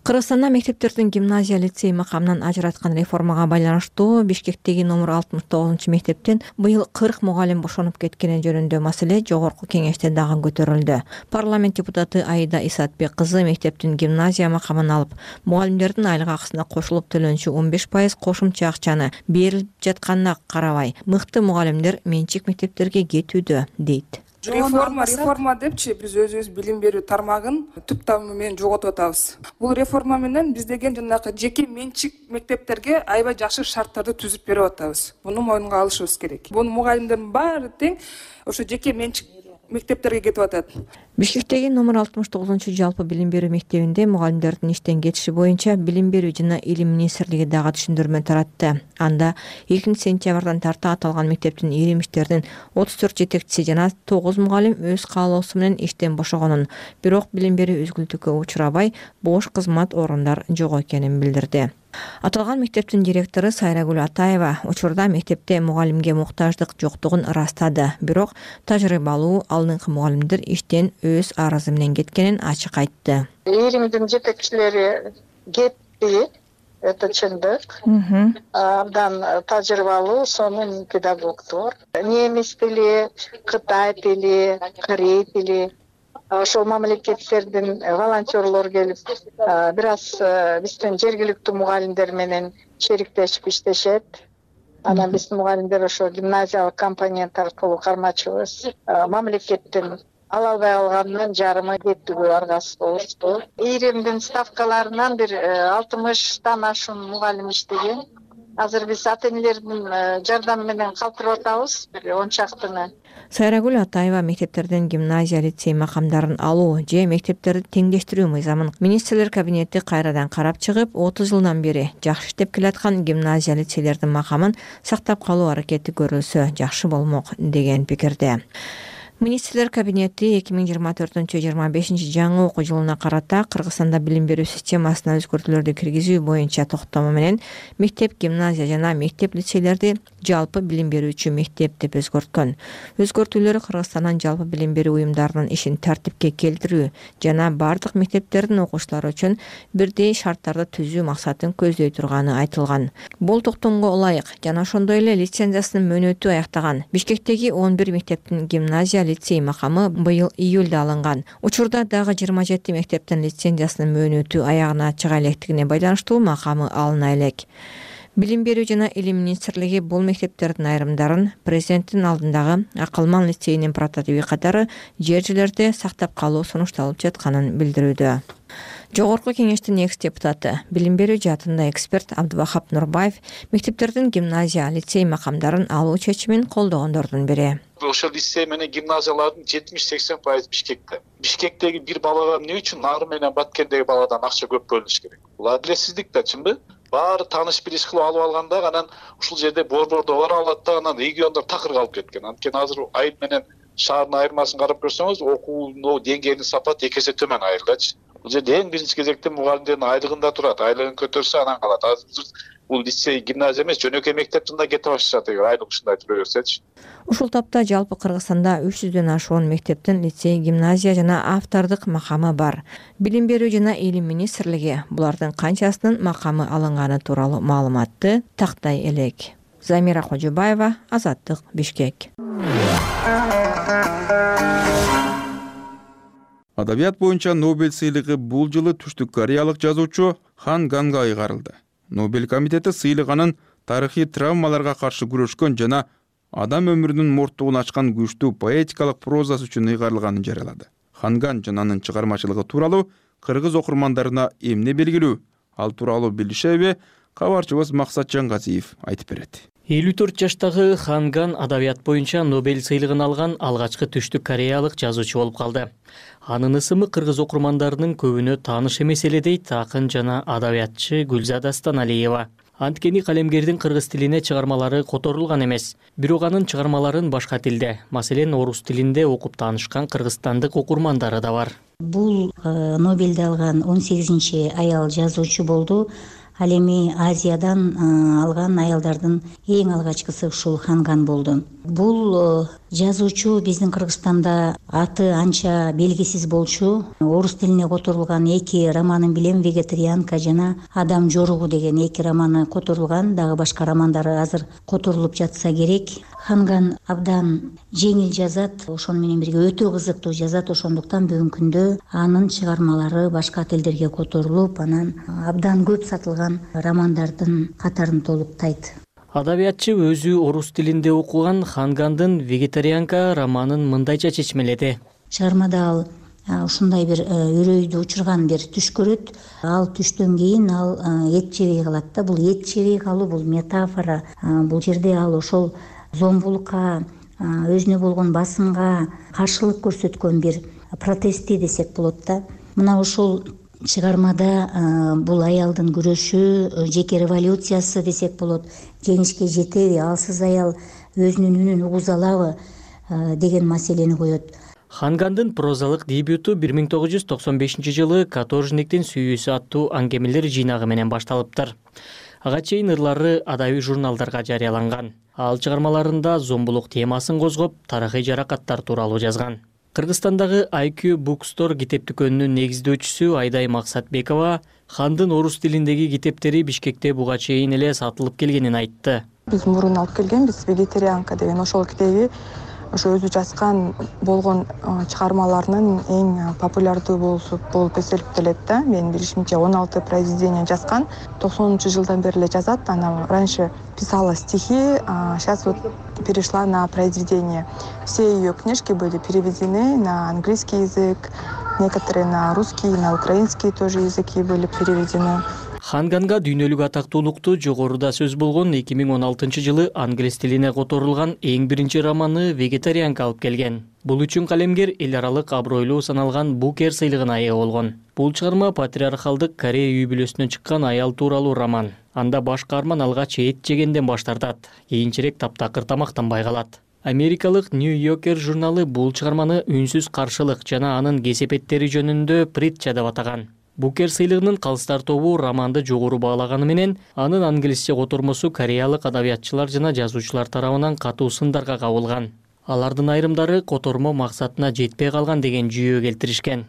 Кыргызстанда мектептердин гимназия, лицей макамынан ажыраткан реформага байланыштуу Бишкектеги номер 69 мектептен быйыл 40 мугалим бошонуп кеткени жөнүндө маселе жогорку кеңеште дагы көтөрүлдү. Парламент депутаты Аида Исатбек кызы мектептин гимназия макамын алып, мугалимдердин айлык акысына кошулуп төлөнчү 15% кошумча акчаны берилип жатканына карабай, мыкты мугалимдер менчик мектептерге кетүүдө дейт. Реформа депчи биз өзүбүз билим берүү тармагын түп тамыры менен жоготуп атабыз. Бул реформа менен биз деген жанагы жеке менчик мектептерге аябай жакшы шарттарды түзүп берип атабыз. Муну моюнга алышыбыз керек. Бул мугалимдердин баары тең ошо жеке менчик мектептерге кетип атат. Бишкектеги номер 69 жалпы билим берүү мектебинде мугалимдердин иштен кетиши боюнча Билим берүү жана Илим министрлиги дагы түшүндүрмө таратты. Анда 2-сентябрдан тарта аталган мектептин иримиштердин 34 жетекчиси жана 9 мугалим өз каалоосу менен иштен бошогонун, бирок билим берүү үзгүлтүккө учурабай, бош кызмат орундар жок экенин билдирди. Аталган мектептин директору Сайрагүл Атаева учурда мектепте мугалимге муктаждык жоктугун ырастады, бирок тажрыйбалуу алдыңкы мугалимдер иштен өз арызы менен кеткенин ачык айтты. Иримдин жетекчилери кетти, это чындык. Абдан тажрыйбалуу сонун педагогдор. Немис тили, Кытай тили, Корей тили, ошол мамлекеттердин волонтерлор келип, бир аз биздин жергиликтүү мугалимдер менен шериктешип иштешет. Анан биздин мугалимдер ошо гимназиялык компонент аркылуу кармачыбыз. Мамлекеттин ала албай калганынан жарымы кеттүүгө аргасыз болушту. Иримдин ставкаларынан бир 60тан ашуун мугалим иштеген. Азыр биз ата-энелердин жардамы менен калтырып атабыз, бир 10 чактыны. Сайрагүл Атаева мектептерден гимназия, лицей макамдарын алуу же мектептерди теңдештирүү мыйзамын министрлер кабинети кайрадан карап чыгып, 30 жылдан бери жакшы иштеп келаткан гимназия, лицейлердин макамын сактап калуу аракети көрүлсө жакшы болмок деген пикирде. Министрлер кабинети 2024-25 жаңы окуу жылына карата Кыргызстанда билим берүү системасына өзгөртүүлөрдү киргизүү боюнча токтому менен мектеп, гимназия жана мектеп, лицейлерди жалпы билим берүүчү мектеп деп өзгөрткөн. Өзгөртүүлөр Кыргызстандын жалпы билим берүү уюмдарынын ишин тартипке келтирүү жана бардык мектептердин окуучулары үчүн бирдей шарттарды түзүү максатын көздөй турганы айтылган. Бул токтомго ылайык жана ошондой эле лицензиясынын мөөнөтү аяктаган Бишкектеги 11 мектептин гимназия, лицей макамы быйыл июлда алынган. Учурда дагы 27 мектептин лицензиясынын мөөнөтү аягына чыга электигине байланыштуу макамы алына элек. Билим берүү жана Илим министрлиги бул мектептердин айрымдарын президенттин алдындагы Акылман лицейинин прототиби катары жер жерлерде сактап калуу сунушталып жатканын билдирүүдө. Жогорку кеңештин экс-депутаты, билим берүү жаатында эксперт Абдубахап Нурбаев мектептердин гимназия, лицей макамдарын алуу чечимин колдогондордун бири. Ошол лицей менен гимназиялардын 70-80% Бишкекте. Бишкектеги бир балага эмне үчүн Нары менен Баткендеги баладан акча көп бөлүнүш керек? Бул адилетсиздик да, чынбы? Баары тааныш билиш кылып алып алганда анан ушул жерде борбордо бара алат да, анан региондор такыр калып кеткен. Анткени азыр айыл менен шаардын айырмасын карап көрсөңүз, окуунун деңгээлинин сапаты 2 эсе төмөн айылдачы. Бул жерде эң биринчи кезекте мугалимдердин айлыгында турат. Айлыгын көтөрсө анан калат. Азыр бул лицей, гимназия эмес, жөнөкөй мектептин да кетип башташат эгер айлык ушундай тура берсечи. Ушул тапта жалпы Кыргызстанда 300дөн ашуун мектептин лицей, гимназия жана автордук макамы бар. Билим берүү жана Илим министрлиги булардын канчасынын макамы алынганы тууралуу маалыматты тактай элек. Замира Кожобаева, Азаттык, Бишкек. Адабият боюнча Нобель сыйлыгы бул жылы түштүк кореялык жазуучу Хан Ганга ыйгарылды. Нобель комитети сыйлыгынын тарыхый травмаларга каршы күрөшкөн жана адам өмүрүнүн морттугун ачкан күчтүү поэтикалык прозасы үчүн ыйгарылганын жарыялады. Хан Ган жана анын чыгармачылыгы тууралуу кыргыз окурмандарына эмне белгилүү? Ал тууралуу билишеби? Кабарчыбыз Максат Жангазиев айтып берет. 54 жаштагы Хан Ган адабият боюнча Нобель сыйлыгын алган алгачкы түштүк кореялык жазуучу болуп калды. Анын ысымы кыргыз окурмандарынын көбүнө тааныш эмес эле дейт акын жана адабиятчы Гүлзада Станалиева. Анткени калемгердин кыргыз тилине чыгармалары которулган эмес. Бирок анын чыгармаларын башка тилде, маселен орус тилинде окуп таанышкан кыргызстандык окурмандары да бар. Бул Нобельди алган 18-аял жазуучу болду. Ал эми Азиядан алган аялдардын эң алгачкысы ушул Ханган болду. Бул жазуучу биздин Кыргызстанда аты анча белгисиз болчу. Орус тилине которулган 2 романын билем, Вегетарианка жана Адам жоругу деген 2 романы которулган, дагы башка романдары азыр которулуп жатса керек. Ханган абдан жеңил жазат, ошону менен бирге өтө кызыктуу жазат, ошондуктан бүгүнкү күндө анын чыгармалары башка тилдерге которулуп, анан абдан көп сатылган романдардын катарын толуктайт. Адабиятчы өзү орус тилинде окуган Хангандын Вегетарианка романын мындайча чечмеледи. Чыгармада ал ушундай бир үрөйдү учурган бир түш көрөт. Ал түштөн кийин ал эт жебей калат да. Бул эт жебей калуу бул метафора. Бул жерде ал ошол зомбулукка, өзүнө болгон басымга каршылык көрсөткөн бир протести десек болот да. Мына ошол чыгармада бул аялдын күрөшү, жеке революциясы десек болот. Жеңишке жетеби, алсыз аял өзүнүн үнүн угуза алабы деген маселени коет. Хангандын прозалык дебюту 1995-жылы Каторжниктин сүйүүсү аттуу аңгемелер жыйнагы менен башталыптыр. Ага чейин ырлары адабий журналдарга жарыяланган. Ал чыгармаларында зомбулук темасын козгоп, тарыхый жаракаттар тууралуу жазган. Кыргызстандагы IQ Bookstore китеп дүкөнүнүн негиздөөчүсү Айдай Максатбекова Хандын орус тилиндеги китептери Бишкекте буга чейин эле сатылып келгенин айтты. Биз мурун алып келгенбиз Вегетарианка деген ошол китеби ошо өзү жазган болгон чыгармаларынын эң популярдуу болуп эсептелет да. Менин билишимче 16 произведение жазган. 90-жылдан бери эле жазат. Она раньше писала стихи, сейчас вот перешла на произведения. Все ее книжки были переведены на английский язык, некоторые на русский, на украинский тоже языки были переведены. Ханганга дүйнөлүк атактуулукту жогоруда сөз болгон 2016-жылы англис тилине которулган эң биринчи романы Вегетарианка алып келген. Бул үчүн калемгер эл аралык абройлуу саналган Букер сыйлыгына ээ болгон. Бул чыгарма патриархалдык Корея үй бүлөсүнөн чыккан аял тууралуу роман. Анда баш каарман алгач эт жегенден баш тартат, кийинчерээк таптакыр тамактанбай калат. Америкалык New Yorker журналы бул чыгарманы үнсүз каршылык жана анын кесепеттери жөнүндө притча деп атаган. Букер сыйлыгынын калыстар тобу романды жогору баалаганы менен, анын англисче котормосу кореялык адабиятчылар жана жазуучулар тарабынан катуу сындарга кабылган. Алардын айрымдары котормо максатына жетпей калган деген жүйө келтиришкен.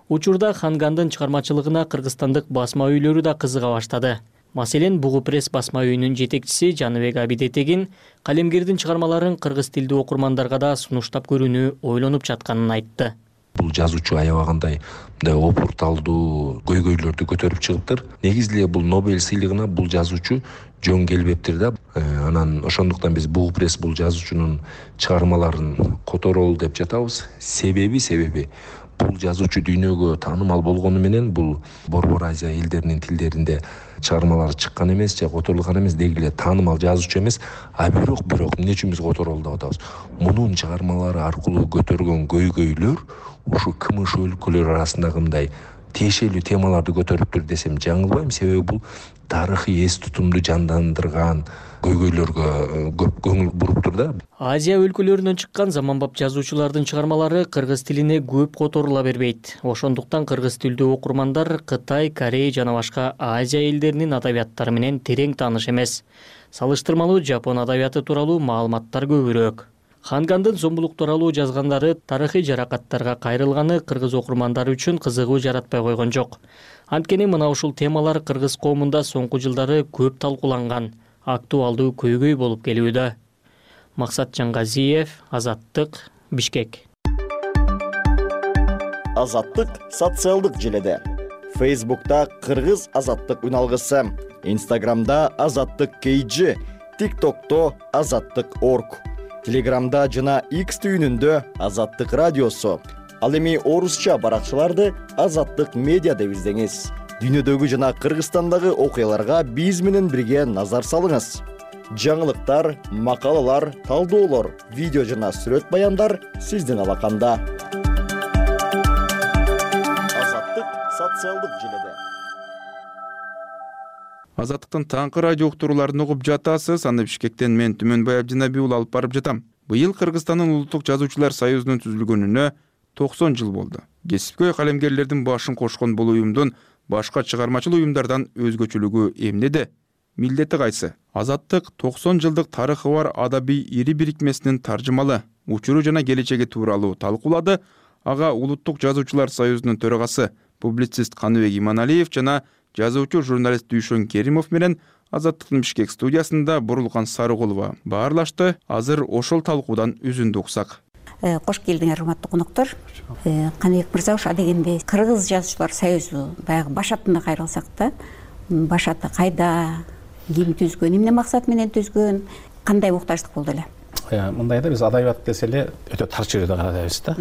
Учурда Хангандын чыгармачылыгына кыргызстандык басма үйлөрү да кызыга баштады. Маселен, Бугу пресс басма үйүнүн жетекчиси Жаныбек Абидетегин калемгердин чыгармаларын кыргыз тилдүү окурмандарга да сунуштап көрүүнү ойлонуп жатканын айтты. Бул жазуучу аябагандай мындай опурталдуу көйгөйлөрдү көтөрүп чыгыптыр. Негизи эле бул Нобель сыйлыгына бул жазуучу жөн келбептир да. Анан ошондуктан биз Бугу пресс бул жазуучунун чыгармаларын которолу деп жатабыз. Себеби бул жазуучу дүйнөгө таанымал болгону менен бул Борбор Азия элдеринин тилдеринде чыгармалары чыккан эмес же которулган эмес, деги эле таанымал жазуучу эмес. Бирок эмне үчүн биз которолу деп атабыз? Мунун чыгармалары аркылуу көтөргөн көйгөйлөр ушу кымыш өлкөлөр арасындагы мындай тиешелүү темаларды көтөрүптүр десем жаңылбайм. Себеби бул тарыхый эс тутумду жандандырган көйгөйлөргө көп көңүл буруптур да. Азия өлкөлөрүнөн чыккан заманбап жазуучулардын чыгармалары кыргыз тилине көп которула бербейт. Ошондуктан кыргыз тилдүү окурмандар Кытай, Корея жана башка Азия элдеринин адабияттары менен терең тааныш эмес. Салыштырмалуу жапон адабияты тууралуу маалыматтар көбүрөөк. Хангандын зомбулук тууралуу жазгандары тарыхый жаракаттарга кайрылганы кыргыз окурмандары үчүн кызыгуу жаратпай койгон жок. Анткени мына ушул темалар кыргыз коомунда соңку жылдары көп талкууланган, актуалдуу көйгөй болуп келүүдө. Максат Жаңгазиев, Азаттык, Бишкек. Азаттык социалдык желеде. Facebook'ta Кыргыз Азаттык үналгысы, Instagram'da Азаттык KG, TikTok'ta Азаттык.org, Telegram'da жана X түйүнүндө Азаттык радиосу. Ал эми орусча баракчаларды Азаттык медиа деп издеңиз. Дүйнөдөгү жана Кыргызстандагы окуяларга биз менен бирге назар салыңыз. Жаңылыктар, макалалар, талдоолор, видео жана сүрөт баяндар сиздин алаканда. Азаттык социалдык желеде. Азаттыктын таңкы радио уктурууларын угуп жатасыз. Аны Бишкектен мен Түмөнбай Абдинабиул алып барып жатам. Быйыл Кыргызстандын Улуттук жазуучулар союзунун түзүлгөнүнө 90 жыл болду. Кесипкөй калемгерлердин башын кошкон бул уюмдун башка чыгармачыл уюмдардан өзгөчөлүгү эмнеде? Милдети кайсы? Азаттык 90 жылдык тарыхы бар адабий ири бирикмесинин таржымалы учуру жана келечеги тууралуу талкуулады. Ага Улуттук жазуучулар союзунун төрагасы публицист Каныбек Иманалиев жана жазуучу журналист Дүйшөн Керимов менен Азаттыктын Бишкек студиясында Бурулган Сарыгулова баарлашты. Азыр ошол талкуудан үзүндү уксак. Кош келдиңер, урматтуу коноктор. Каныбек мырза, ошо дегенде Кыргыз жазуучулар союзу баягы башатына кайрылсак да, башаты кайда, ким түзгөн, эмне максат менен түзгөн, кандай муктаждык болду эле? Мындай да, биз адабият десе эле өтө тар чөйрөдө карайбыз да.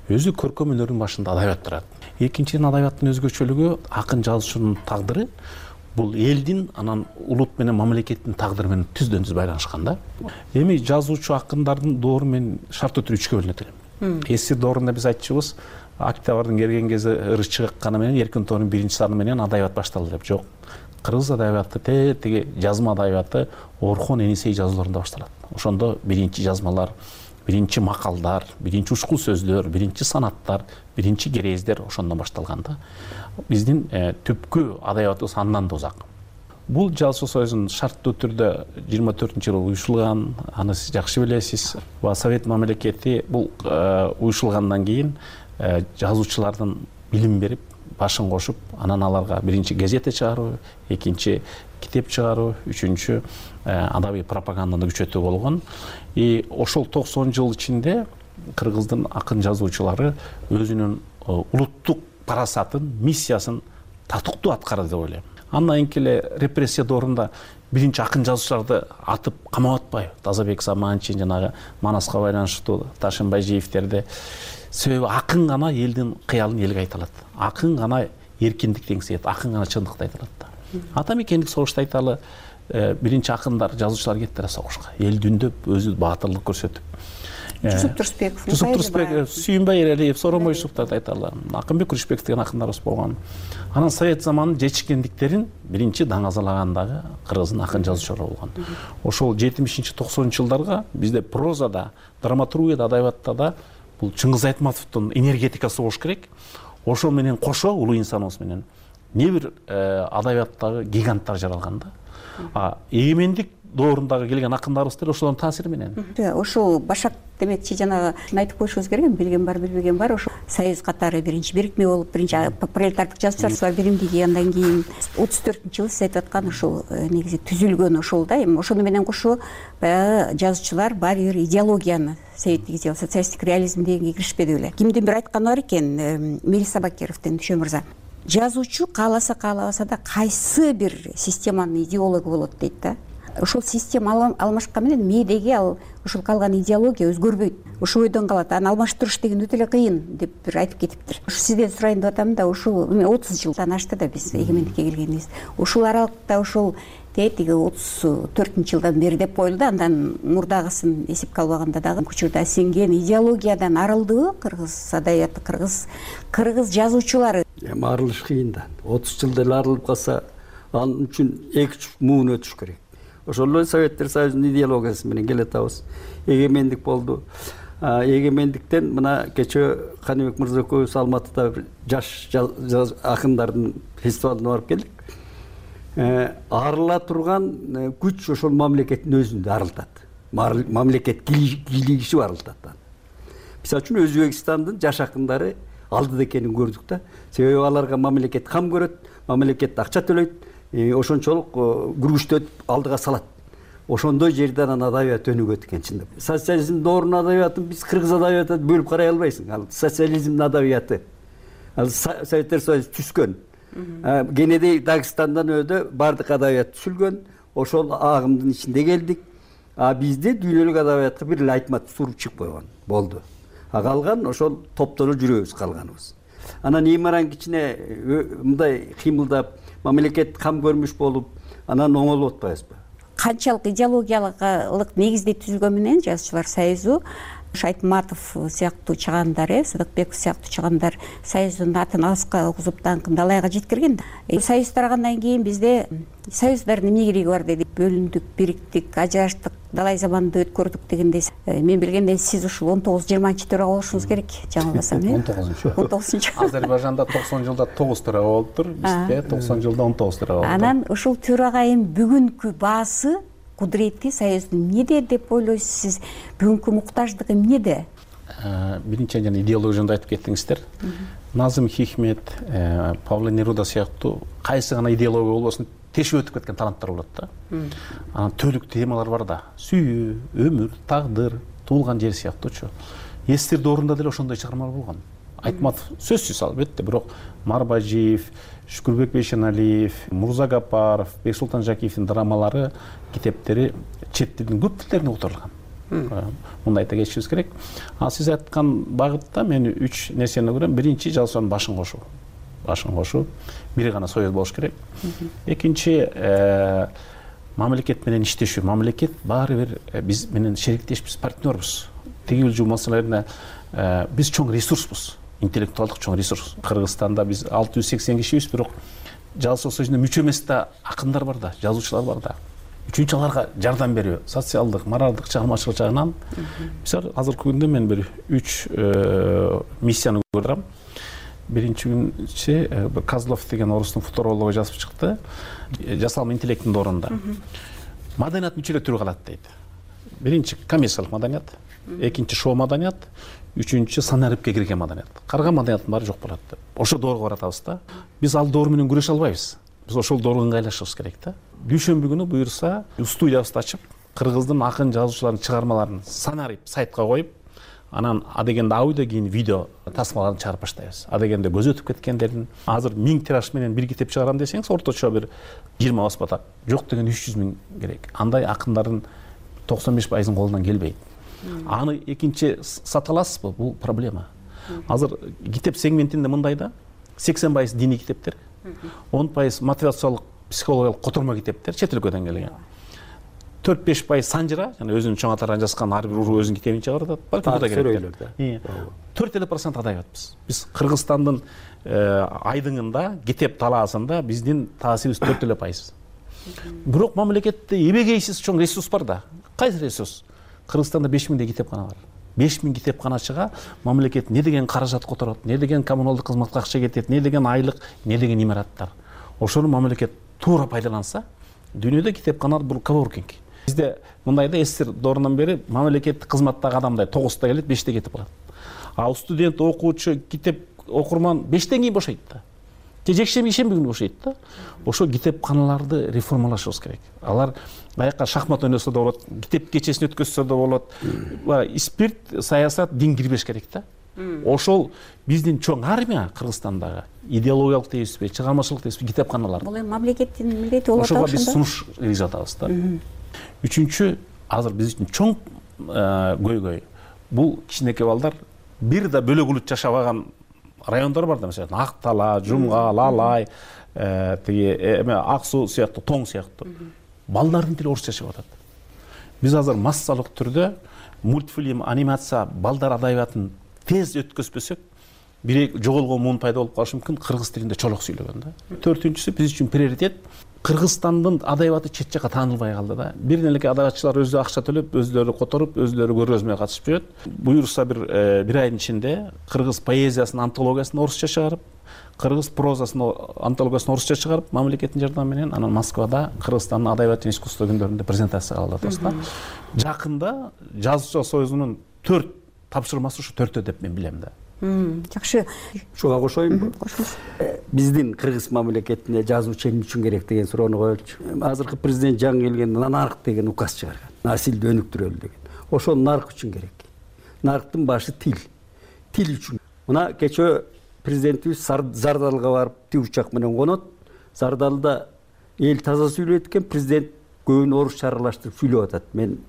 Өзү көркөм өнөрдүн башында адабият турат. Экинчиден, адабияттын өзгөчөлүгү акын жазуучунун тагдыры бул элдин, анан улут менен мамлекеттин тагдыры менен түздөн түз байланышкан да. Эми жазуучу акындардын доору менен шарттуу түрдө үчкө бөлүнөт элем. Эски доорунда биз айтчубуз, октябрдын келген кезде ырыс чыгыкканы менен эркин тоонун 1-саны менен адабият башталды деп. Жок. Кыргыз адабияты теги жазма адабияты Орхон Энисей жазууларында башталат. Ошондо биринчи жазмалар, биринчи макалдар, биринчи ушкул сөздөр, биринчи санаттар, биринчи керездер ошондон башталган да. Биздин түпкү адабиятыбыз андан да узак. Бул жазуучу союзунун шарттуу түрдө 24-жылы уюшулган, аны сиз жакшы билесиз. Совет мамлекети бул уюшулгандан кийин жазуучулардын билим берип, башын кошуп, анан аларга биринчи газета чыгаруу, экинчи китеп чыгаруу, үчүнчү адабий пропаганданы күчөтүү болгон. Ошол 90 жыл ичинде Кыргыздын акын жазуучулары өзүнүн улуттук парасатын, миссиясын татыктуу аткарды деп ойлойм. Андан кийин эле репрессия доорунда биринчи акын жазуучуларды атып камап атпайбы? Тазабек Саманчин, жанагы Манаска байланыштуу Ташынбайжиевтерди. Себеби акын гана элдин кыялын элге айта алат. Акын гана эркиндикти эңсейт, акын гана чындыкты айта алат да. Ата мекендик согушта айталы, биринчи акындар, жазуучулар кеттире согушка. Эл дүндөп, өзү баатырлык көрсөтүп. Жусуп Турсбеков, Сүйүнбай Эралиев, Соромой Юсуптарды айталы. Акынбек Күрүшбеков деген акындарыбыз болгон. Анан совет заманынын жечкендиктерин биринчи даңазалаган дагы Кыргыздын акын жазуучулары болгон. Ошол 70-90 жылдарга бизде прозада, драматургияда, адабиятта да бул Чыңгыз Айтматовдун энергетикасы болуш керек. Ошол менен кошо улуу инсаныбыз менен не бир адабияттагы гиганттар жаралган да. Эгемендик доорундагы келген акындарыбыз деле ошолордун таасири менен. Ошол башак демекчи жанагы айтып коюшубуз керек, билген бар, билбеген бар. Ошо союз катары биринчи бирикме болуп, биринчи пролетардык жазуучулар биримдиги, андан кийин 34-жылы сиз айтып аткан ошол негизи түзүлгөн ошол да. Эми ошону менен кошо баягы жазуучулар баары бир идеологияны, советтик идеология, социалисттик реализм дегенге киришпеди беле. Кимдин бир айтканы бар экен, Мелиса Бакировдун, Дүйшөн мырза. Жазуучу кааласа каалабаса да кайсы бир системанын идеологу болот дейт да. Ошол система алмашкан менен мээдеги ал ошол калган идеология өзгөрбөйт. Ошол бойдон калат. Аны алмаштырыш деген өтө эле кыйын деп бир айтып кетиптир. Ушу сизден сурайын деп атам да, ушул 30 жылдан ашты да биз эгемендикке келгенибиз. Ушул аралыкта ошол тиги 34-жылдан бери деп коюлду. Андан мурдагысын эсепке албаганда дагы учурда сиңген идеологиядан арылдыбы кыргыз адабияты, кыргыз жазуучулары? Эми арылыш кыйын да. 30 жылда эле арылып калса, анын үчүн 2 муун өтүш керек. Ошол эле Советтер Союзунун идеологиясы менен келатабыз. Эгемендик болду. Эгемендиктен мына кечээ Каныбек мырза экөөбүз Алматыда бир жаш акындардын фестивалына барып келдик. Арыла турган күч ошол мамлекеттин өзүндө арылтат. Мамлекет кийлигишип арылтат. Мисалы үчүн Өзбекстандын жаш акындары алдыда экенин көрдүк да. Себеби аларга мамлекет кам көрөт, мамлекет акча төлөйт. Ошончолук күргүчтөп алдыга салат. Ошондой жерден адабият өнүгөт экен чындап. Социализм доорунун адабиятын биз кыргыз адабиятына бөлүп карай албайсың. Ал социализмдин адабияты. Ал Советтер Союзу түзгөн. Кенедей Дагыстандан өдө бардык адабият түзүлгөн. Ошол агымдын ичинде келдик. Бизде дүйнөлүк адабиятка бир эле Айтматов туруп чыгып койгон. Болду. Калган ошол топтоно жүрөбүз калганыбыз. Анан имаран кичине мындай кыймылдап мамлекет кам көрмүш болуп, анан оңолуп атпайбызбы? Канчалык идеологиялык негизде түзүлгөн менен жазуучулар союзу Айтматов сыяктуу чыгандар, Сыдыкбеков сыяктуу чыгандар союздун атын алыска окузуп даңкын далайга жеткирген да. Союз тарагандан кийин бизде союздардын эмне кереги бар деди. Бөлүндүк, бириктик, ажыраштык, далай заманды өткөрдүк дегендей мен билгенден сиз ушул 19-20 төрага болушуңуз керек, жаңылбасам, 19 Азербайжанда 90 жылда 9 төрага болуптур, бизде 90 жылда 19 төрага болуптур. Анан ушул төрагайын бүгүнкү баасы, кудурети Союздун эмнеде деп ойлойсуз сиз? Бүгүнкү муктаждыгы эмнеде? Биринчи жана идеология жөнүндө айтып кеттиңиздер. Назым Хикмет, Павло Неруда сыяктуу кайсы гана идеология болбосун тешип өтүп кеткен таланттар болот да. Анан төлүк темалар бар да. Сүйүү, өмүр, тагдыр, туулган жер сыяктуучу. Эстирди орунда деле ошондой чыгармалар болгон. Айтматов сөзсүз албетте, бирок Марбажиев, Шүкүрбек Бейшеналиев, Мурза Гапаров, Бексултан Жакиевдин драмалары, китептери чет тилдин көп тилдерине которулган. Мындай айта кетишибиз керек. Сиз айткан багытта мен 3 нерсени көрөм. Биринчи, жазуучунун башын кошуу. Башын кошуу. Бири гана союз болуш керек. Экинчи, мамлекет менен иштешүү. Мамлекет баары бир биз менен шериктешпиз, партнербуз. Тигил жуу маселелерине биз чоң ресурсбуз. Интеллектуалдык чоң ресурс. Кыргызстанда биз 680 кишибиз, бирок жазуучулар союзуна мүчө эмес да акындар бар да, жазуучулар бар да. Үчүнчү аларга жардам берүү, социалдык, моралдык, чыгармачылык жагынан биз азыркы күндө мен бир 3 миссияны көрөм. Биринчи Козлов деген орустун футурологу жазып чыкты. Жасалма интеллекттин орунда. Маданияттын 3 түрү калат дейт. Биринчи коммерциялык маданият, экинчи шоу маданият, үчүнчү санариптке кирген маданият. Карган маданияттын баары жок болот. Ошо доорго баратабыз да. Биз ал доор менен күрөшө албайбыз. Биз ошол доорго ыңгайлашыбыз керек да. Дүйшөмбү күнү буюрса, студиябызды ачып, кыргыздын акын жазуучуларынын чыгармаларын санарип сайтка коюп, анан адегенде аудио кийин видео тасмаларын чыгарып баштайбыз. Адегенде көз өтүп кеткендердин азыр 1000 тираж менен бир китеп чыгарам десеңиз, орточо бир 20 баспата. Жок деген 300 000 керек. Андай акындардын 95%-ын колунан келбейт. Аны экинчи сата аласызбы? Бул проблема. Азыр китеп сегментинде мындай да, 80% диний китептер, 10% мотивациялык, психологиялык котормо китептер, чет өлкөдөн келген. 4-5% санжыра, жана өзүнүн чоң атаран жазган ар бир уруу өзүнүн китебин чыгарат. Балким да керек. 4% адайбатпыз. Биз Кыргызстандын айдыңында, китеп талаасында биздин таасирибиз 4%. Бирок мамлекетте эбегейсиз чоң ресурс бар да. Кайсы ресурс? Кыргызстанда 5000 китепкана бар. 5000 китепканачыга мамлекет не деген каражат которот, не деген коммуналдык кызматка акча кетет, не деген айлык, не деген имараттар. Ошону мамлекет туура пайдаланса, дүйнөдө китепканалар бул коворкинг. Бизде мындай да эстир доорунан бери мамлекеттик кызматтагы адамдай 9-та келет, 5-те кетип калат. А студент, окуучу, китеп окурман 5-тен кийин бошойт да. Жекшемби, ишемби күнү бошойт да. Ошо китепканаларды реформалашыбыз керек. Алар баякка шахмат ойносо да болот, китеп кечесин өткөзсө да болот. Спирт, саясат, дин кирбеш керек да. Ошол биздин чоң армия Кыргызстандагы идеологиялык дейбизби, чыгармачылык дейбизби, китепканалар. Бул эми мамлекеттин милдети болот. Ошого биз сунуш кыргызып атабыз да. Үчүнчү, азыр биз үчүн чоң көйгөй. Бул кичинекей балдар бир да бөлөк улут жашабаган райондор бар да, мисалы Ак Тала, Жумгал, Алай, эме Ак Суу сыяктуу, Тоң сыяктуу. Балдардын тили орусча чыгып атат. Биз азыр массалык түрдө мультфильм, анимация, балдар адабиятын тез өткөзбөсөк, бир жоголгон муун пайда болуп калышы мүмкүн, кыргыз тилинде чолок сүйлөгөн да. Төртүнчүсү, биз үчүн приоритет Кыргызстандын адабияты чет жакка таанылбай калды да. Бир эле адабиятчылар өзү акча төлөп, өзүлөрү которуп, өзүлөрү көргөзмөй катышып жүрөт. Буюрса бир айдын ичинде кыргыз поэзиясынын антологиясын орусча чыгарып, кыргыз прозасынын антологиясын орусча чыгарып, мамлекеттин жардамы менен анан Москвада Кыргызстандын адабият жана искусство күндөрүндө презентация кылып атабыз да. Жакында Жазуучулар союзунун 4 тапшырмасы ушу 4 деп мен билем да. Жакшы. Ушуга кошоюнбу? Биздин кыргыз мамлекетине жазуучу эмне үчүн керек деген суроону коелучу. Азыркы президент жаңы келгенде нарк деген указ чыгарган. Насилди өнүктүрөлү деген. Ошол нарк үчүн керек. Нарктын башы тил. Тил үчүн. Мына кечээ президентибиз Зардалга барып тик учак менен конот. Зардалда эл таза сүйлөйт экен, президент көбүн орусча аралаштырып сүйлөп атат. Мен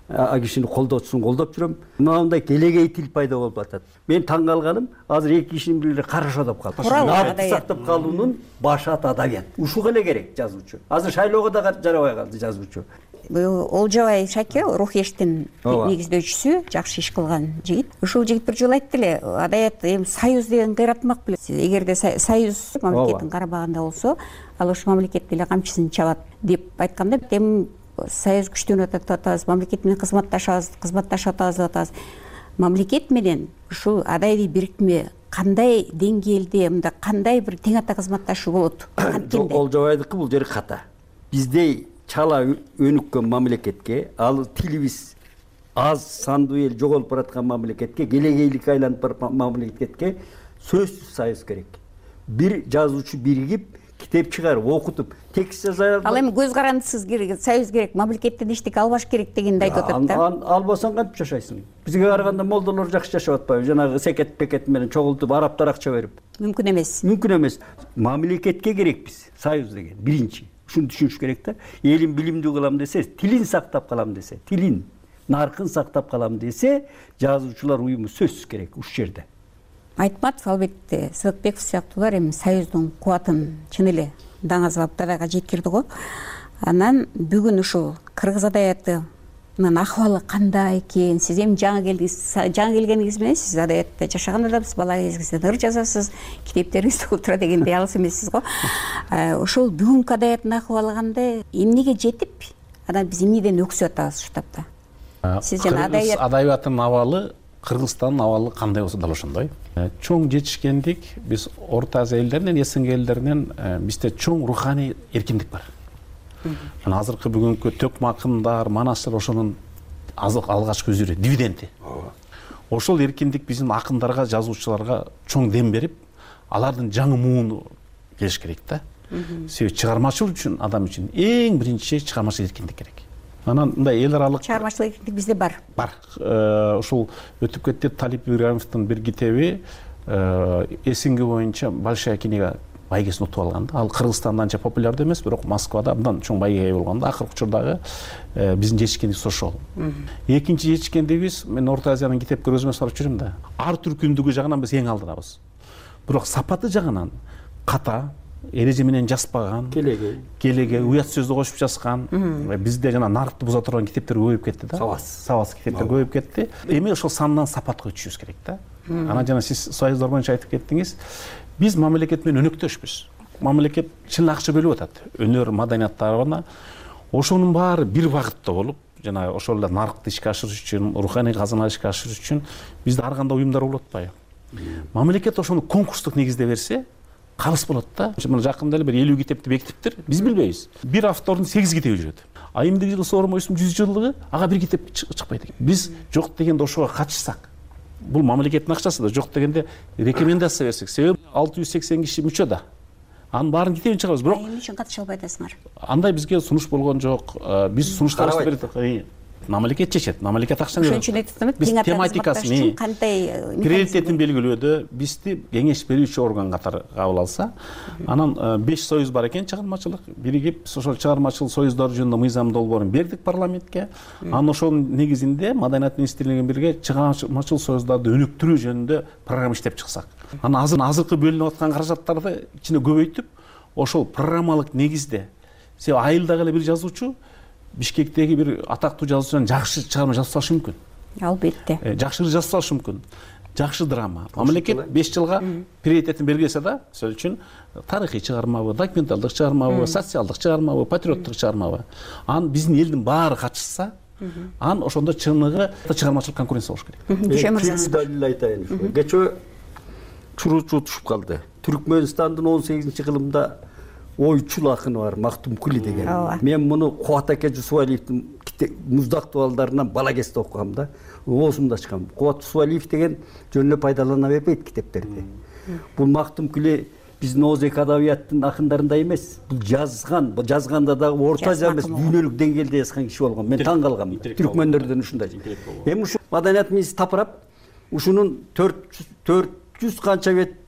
а кишини колдоочусун колдоп жүрөм. Мындай келегей тил пайда болуп атат. Мен таң калганым, азыр эки кишинин бири карашо деп калды. Наркты сактап калуунун башы адабият. Ушуга эле керек жазуучу. Азыр шайлоого да жарабай калды жазуучу. Олжобай Шаке, Рухештин негиздөөчүсү, жакшы иш кылган жигит. Ушул жигит бир жолу айтты эле, адабият эми союз деген кыйратмак беле. Эгерде союз мамлекеттин карабагында болсо, ал ошол мамлекет деле камчысын чабат деп айтканда, эми союз күчтөнүп атабыз, мамлекет менен кызматташып атабыз. Мамлекет менен ушул адайбий бириктме кандай деңгээлде, мында кандай бир тең ата кызматташуу болот? Олжобайдыкы бул жери ката. Биздей чала өнүккөн мамлекетке, ал тилибиз аз сандуу эл жоголуп бараткан мамлекетке, келегейликке айланып бараткан мамлекетке сөзсүз союз керек. Бир жазуучу биригип, китеп чыгарып, окутуп, текст жаза албайт. Ал эми көз карандысыз союз керек, мамлекеттен эчтеке албаш керек дегенди айтып атат да. Албасаң кантип жашайсың? Бизге караганда молдолор жакшы жашап атпайбы? Жанагы секет пекет менен чогултуп, араптар акча берип. Мүмкүн эмес. Мүмкүн эмес. Мамлекетке керекпиз союз деген. Биринчи. Ушуну түшүнүш керек да. Элин билимдүү кылам десе, тилин сактап калам десе, тилин, наркын сактап калам десе, жазуучулар уюму сөзсүз керек ушул жерде. Айтматов, албетте, Сыдыкбеков сыяктуулар эми союздун кубатын чын эле даңазалап дабайга жеткирди го. Анан бүгүн ушул кыргыз адабиятынын акыбалы кандай экен? Сиз эми жаңы келгениңиз менен сиз адабиятта жашаган адамсыз, бала кезиңизден ыр жазасыз, китептериңизди окуп тура дегендей алыс эмессиз го. Ошол бүгүнкү адабияттын акыбалы кандай? Эмнеге жетип, анан биз эмнеден өксүп атабыз ушул тапта? Сиз жана адабияттын абалы Кыргызстандын абалы кандай болсо дал ошондой. Чоң жетишкендик, биз Орто Азия элдеринен, СНГ элдеринен бизде чоң руханий эркиндик бар. Мына азыркы бүгүнкү төкмө акындар, манастар ошонун алгачкы үзүрү, дивиденди. Ошол эркиндик биздин акындарга, жазуучуларга чоң дем берип, алардын жаңы мууну келиш керек да. Себеби чыгармачылык үчүн, адам үчүн эң биринчи чыгармачылык эркиндик керек. Анан мындай эл аралык чыгармачылык эркиндик бизде бар. Бар. Ушул өтүп кетти Талип Ибраимовдун бир китеби СНГ боюнча большая книга байгесин утуп алган да. Ал Кыргызстанда анча популярдуу эмес, бирок Москвада абдан чоң байгеге ээ болгон да. Акыркы учурдагы биздин жетишкендигибиз ошол. Экинчи жетишкендигибиз, мен Орто Азиянын китеп көргөзмөсүн барып жүрөм да. Ар түркүндүгү жагынан биз эң алдыдабыз. Бирок сапаты жагынан ката, эреже менен жазбаган, келеге уят сөздү кошуп жазган. Бизде жана наркты буза турган китептер көбөйүп кетти да. Сабас китептер көбөйүп кетти. Эми ошол сандан сапатка өтүшүбүз керек да. Анан жана сиз союздар боюнча айтып кеттиңиз. Биз мамлекет менен өнөктөшпүз. Мамлекет чын акча бөлүп атат. Өнөр, маданияттарына. Ошонун баары бир багытта болуп, жана ошол эле наркты ишке ашырыш үчүн, руханий казына ишке ашырыш үчүн бизде ар кандай уюмдар болуп атпайбы? Мамлекет ошону конкурстук негизде берсе, калыс болот да. Мына жакында эле бир 50 китепти бекитиптир. Биз билбейбиз. Бир автордун 8 китеби жүрөт. А эмдиги жыл Сооронбай Жээнбековдун 100 жылдыгы ага бир китеп чыкпайт экен. Биз жок дегенде ошого катышсак, бул мамлекеттин акчасы да, жок дегенде рекомендация берсек, себеби 680 киши мүчө да. Анын баарын китебин чыгарабыз, бирок эмне үчүн катыша албай атасыңар? Андай бизге сунуш болгон жок. Биз сунуштарыбызды бердик. Мамлекет чечет, мамлекет акчаны берет. Ошон үчүн айтып биз тематикасын, кандай приоритетин белгилөөдө бизди кеңеш берүүчү орган катары кабыл алса, анан 5 союз бар экен чыгармачылык, биригип ошол чыгармачыл союздар жөнүндө мыйзам долбоорун бердик парламентке. Анан ошонун негизинде Маданият министрлиги менен бирге чыгармачыл союздарды өнүктүрүү жөнүндө программа иштеп чыксак. Анан азыркы бөлүнүп аткан каражаттарды ичине көбөйтүп, ошол программалык негизде, себеби айылдагы эле бир жазуучу Бишкектеги бир атактуу жазуучудан жакшы чыгарма жазып салышы мүмкүн. Албетте. Жакшы жазып салышы мүмкүн. Жакшы драма. Мамлекет 5 жылга приоритетин белгилесе да, сөз үчүн тарыхый чыгармабы, документалдык чыгармабы, социалдык чыгармабы, патриоттук чыгармабы. Анан биздин элдин баары катышса, анан ошондо чыныгы чыгармачылык конкуренция болуш керек. Түшүм далил айтайын. Кечээ чуруучу утушуп калды. Түркмөнстандын 18-кылымда ойчул акыны бар, Мактум Кули деген. Мен муну Кубат аке Жусупалиевдин Муздак дуалдарынан бала кезде окугам да. Оозумда чыккан. Кубат Жусупалиев деген жөн эле пайдалана бербейт китептерди. Бул Мактум Кули биздин Озек адабияттын акындарындай эмес. Бул жазганда дагы Орто Азия эмес, дүйнөлүк деңгээлде жазган киши болгон. Мен таң калгам. Түркмөндөрдөн ушундай. Эми ушу маданият министри тапырап, ушунун 400 канча бет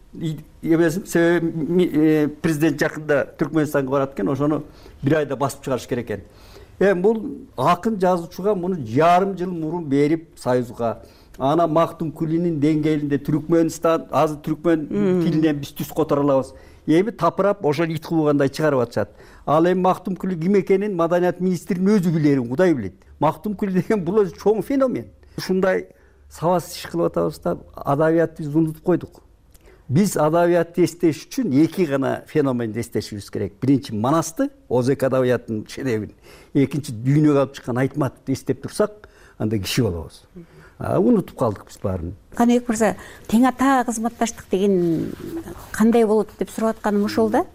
себеби президент жакында Түркмөнстанга барат экен, ошону бир айда басып чыгарыш керек экен. Бул акын жазуучуга муну жарым жыл мурун берип союзга, ана Мактум Кулинин деңгээлинде Түркмөнстан, азыр түркмөн тилинен биз түз которо алабыз. Эми тапырап ошол ит кылгандай чыгарып атышат. Ал эми Мактум Кули ким экенин маданият министринин өзү билерин Кудай билет. Мактум Кули деген бул өзү чоң феномен. Ушундай сабас иш кылып атабыз да, адабиятты биз унутуп койдук. Биз адабиятты эстеш үчүн эки гана феноменди эстешибиз керек. Биринчи Манасты, Озек адабиятынын шедеврин. Экинчи дүйнөгө алып чыккан Айтматовду эстеп турсак, анда киши болобуз. Унутуп калдык биз баарын. Каныбек мырза, тең ата кызматташтык деген кандай болот деп сурап атканым ошол да.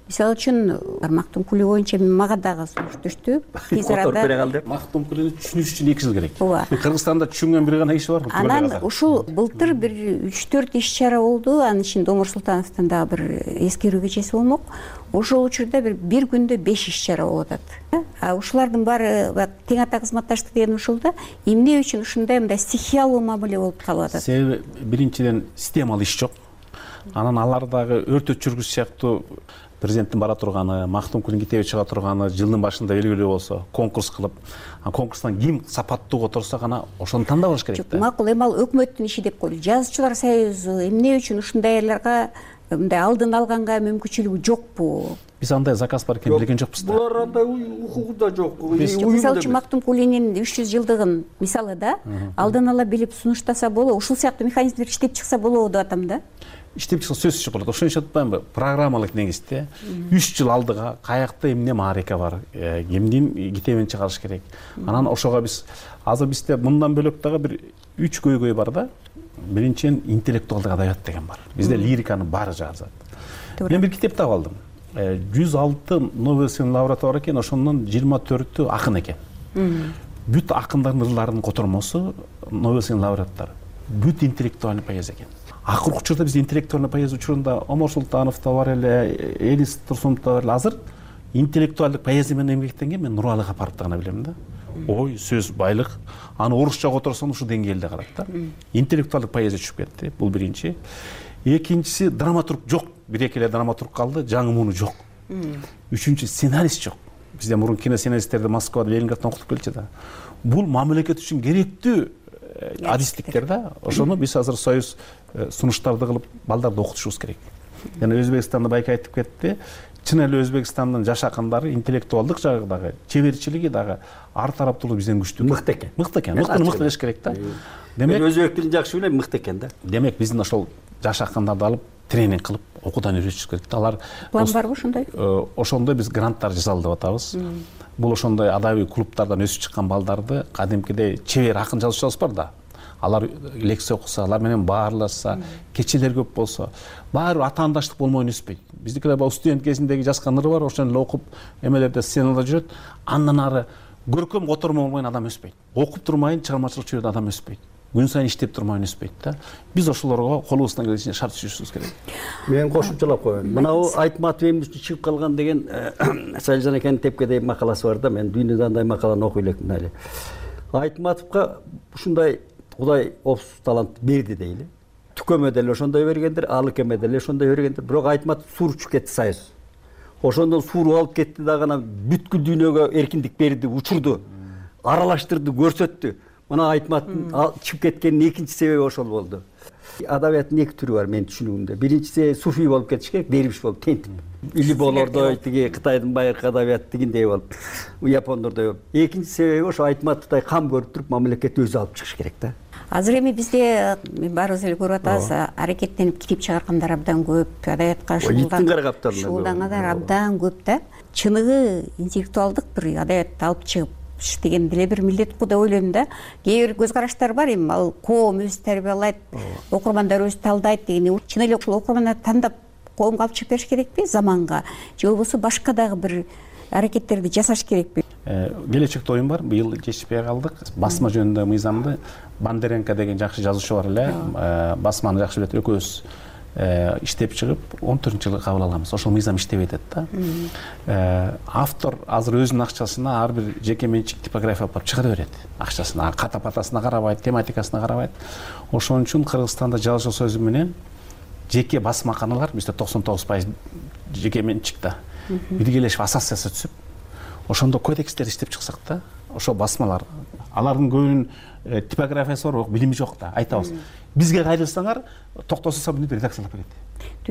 Мисалы үчүн Мактумкули боюнча мага дагы сунуш түштү. Тез арада Мактумкулини түшүнүш үчүн 2 жыл керек. Кыргызстанда түшүнгөн бир гана киши бар. Анан ушул былтыр бир 3-4 иш-чара болду. Анын ичинде Омар Султановдун дагы бир эскерүү кечеси болмок. Ошол учурда бир күндө 5 иш-чара болуп атат. Ушулардын баары тең ата кызматташтык деген ушул да. Эмне үчүн ушундай мындай стихиялуу мамиле болуп калып атат? Себеби биринчиден системалуу иш жок. Анан алар дагы өртөт жүргүз сыяктуу президенттин бара турганы, Мактумкулдун китеби чыга турганы жылдын башында белгилүү болсо, конкурс кылып, конкурстан ким сапаттуу которсо гана ошону тандап алыш керек да. Макул, эми ал өкмөттүн иши деп койлу. Жазуучулар союзу эмне үчүн ушундайларга мындай алдын алганга мүмкүнчүлүгү жокпу? Биз андай заказ бар экенин билген жокпуз да. Булар андай укугу да жок. Мисалы үчүн Мактумкулинин 300 жылдыгын мисалы да, алдын ала билип сунуштаса болобу, ушул сыяктуу механизмдер иштеп чыкса болобу деп атам да. Иштеп чыкса сөзсүз болот. Ошон үчүн атпаймынбы? Программалык негизде 3 жыл алдыга каякта эмне маарека бар, кимдин китебин чыгарыш керек. Анан ошого биз азыр бизде мындан бөлөк дагы бир 3 көйгөй бар да. Биринчиден интеллектуалдык адабият деген бар. Бизде лириканын баары жазат. Мен бир китеп таап алдым. 106 Нобель сыйлыгынын лауреаты бар экен, ошонун 24-ü акын экен. Бүт акындардын ырларынын котормосу Нобель сыйлыгынын лауреаттары. Бүт интеллектуальный поэзия экен. Акыркы учурда биз интеллектуальный поэзия учурунда Омар Султанов да бар эле, Элис Турсунов да бар эле. Азыр интеллектуалдык поэзия менен эмгектенген мен Нуралы Капаровду гана билем да. Ой, сөз байлык. Аны орусча которсоң ушул деңгээлде карайт да. Интеллектуалдык поэзия түшүп кетти. Бул биринчи. Экинчиси драматург жок. Бир-эки эле драматург калды, жаңы муну жок. Үчүнчү сценарист жок. Бизде мурун кино сценаристтерди Москвада, Ленинграддан окутуп келчү да. Бул мамлекет үчүн керектүү адистиктер да. Ошону биз азыр союз сунуштарды кылып балдарды окутушубуз керек. Жана Өзбекстанда байка айтып кетти. Чын эле Өзбекстандын жаш акындары интеллектуалдык жагы дагы, чеберчилиги дагы ар тараптуулуу бизден күчтүү. Мыкты экен. Мыкты экен. Мыкты делиш керек да. Демек өзбек тилин жакшы билем, мыкты экен да. Демек биздин ошол жаш акындарды алып тренинг кылып окуудан үйрөтүш керек да. Алар план барбы ошондой? Ошондой биз гранттар жасалды деп атабыз. Бул ошондой адабий клубтардан өсүп чыккан балдарды кадимкидей чебер акын жазуучулар бар да. Алар лекция окуса, алар менен баарлашса, кечелер көп болсо, баары атаандаштык болмой өспөйт. Биздикилер баягы студент кезиндеги жазган ыры бар, ошону эле окуп, эмелерде сценада жүрөт. Андан ары көркөм котормо болмойн адам өспөйт. Окуп турмайын чыгармачылык чүйрөдө адам өспөйт. Күн сайын иштеп турмайын өспөйт да. Биз ошолорго колубуздан келишинче шарт түзүшүбүз керек. Мен кошумчалап коеюн. Мынау Айтматов эмне үчүн чыгып калган деген Салижан экенин тепкедей макаласы бар да. Мен дүйнөдө андай макаланы окуй элекмин эле. Айтматовго ушундай Кудай опсуз талант берди дейли. Түкөмө деле ошондой бергендир, Алыкеме деле ошондой бергендир. Бирок Айтматов сууруп кетти союз. Ошондон сууруп алып кетти дагы анан бүткүл дүйнөгө эркиндик берди, учурду, аралаштырды, көрсөттү. Мына Айтматтын чыгып кеткенин экинчи себеби ошол болду. Адабияттын эки түрү бар менин түшүнүгүмдө. Биринчиси суфий болуп кетиш керек, дервиш болуп тентип. Или болордой тиги Кытайдын байыркы адабияты дегендей болуп, япондордой. Экинчи себеби ошо Айтматовдой кам көрүп туруп мамлекет өзү алып чыгыш керек да. Азыр эми бизде баарыбыз эле көрүп атабыз, аракеттенип китеп чыгаргандар абдан көп, адабиятка шуулдангандар абдан көп да. Чыныгы интеллектуалдык бир адабиятты алып чыгып деген деле бир милдет го деп ойлойм да. Кээ бир көз караштар бар, эми ал коом өзү тарбиялайт, окурмандар өзү талдайт деген. Чын эле ушул окурмандарды тандап коомго алып чыгып бериш керекпи заманга? Же болбосо башка дагы бир аракеттерди жасаш керекпи? Келечекте оюм бар, быйыл жетишпей калдык. Басма жөнүндө мыйзамды Бандеренко деген жакшы жазуучу бар эле, басманы жакшы билет, экөөбүз иштеп чыгып 14-жылы кабыл алганбыз. Ошол мыйзам иштебей атат да. Автор азыр өзүнүн акчасына ар бир жеке менчик типография алып чыгара берет. Акчасына, ката-патасына карабайт, тематикасына карабайт. Ошон үчүн Кыргызстанда жазуучу союзу менен жеке басмаканалар, бизде 99% жеке менчик да. Биргелешип ассоциация түзүп, ошондо кодекстер иштеп чыксак да, ошо басмалар, алардын көбүнүн типографиясы бар, билими жок да, айтабыз. Бизге кайрылсаңар, Токтосун Сабынов редакциялап берет.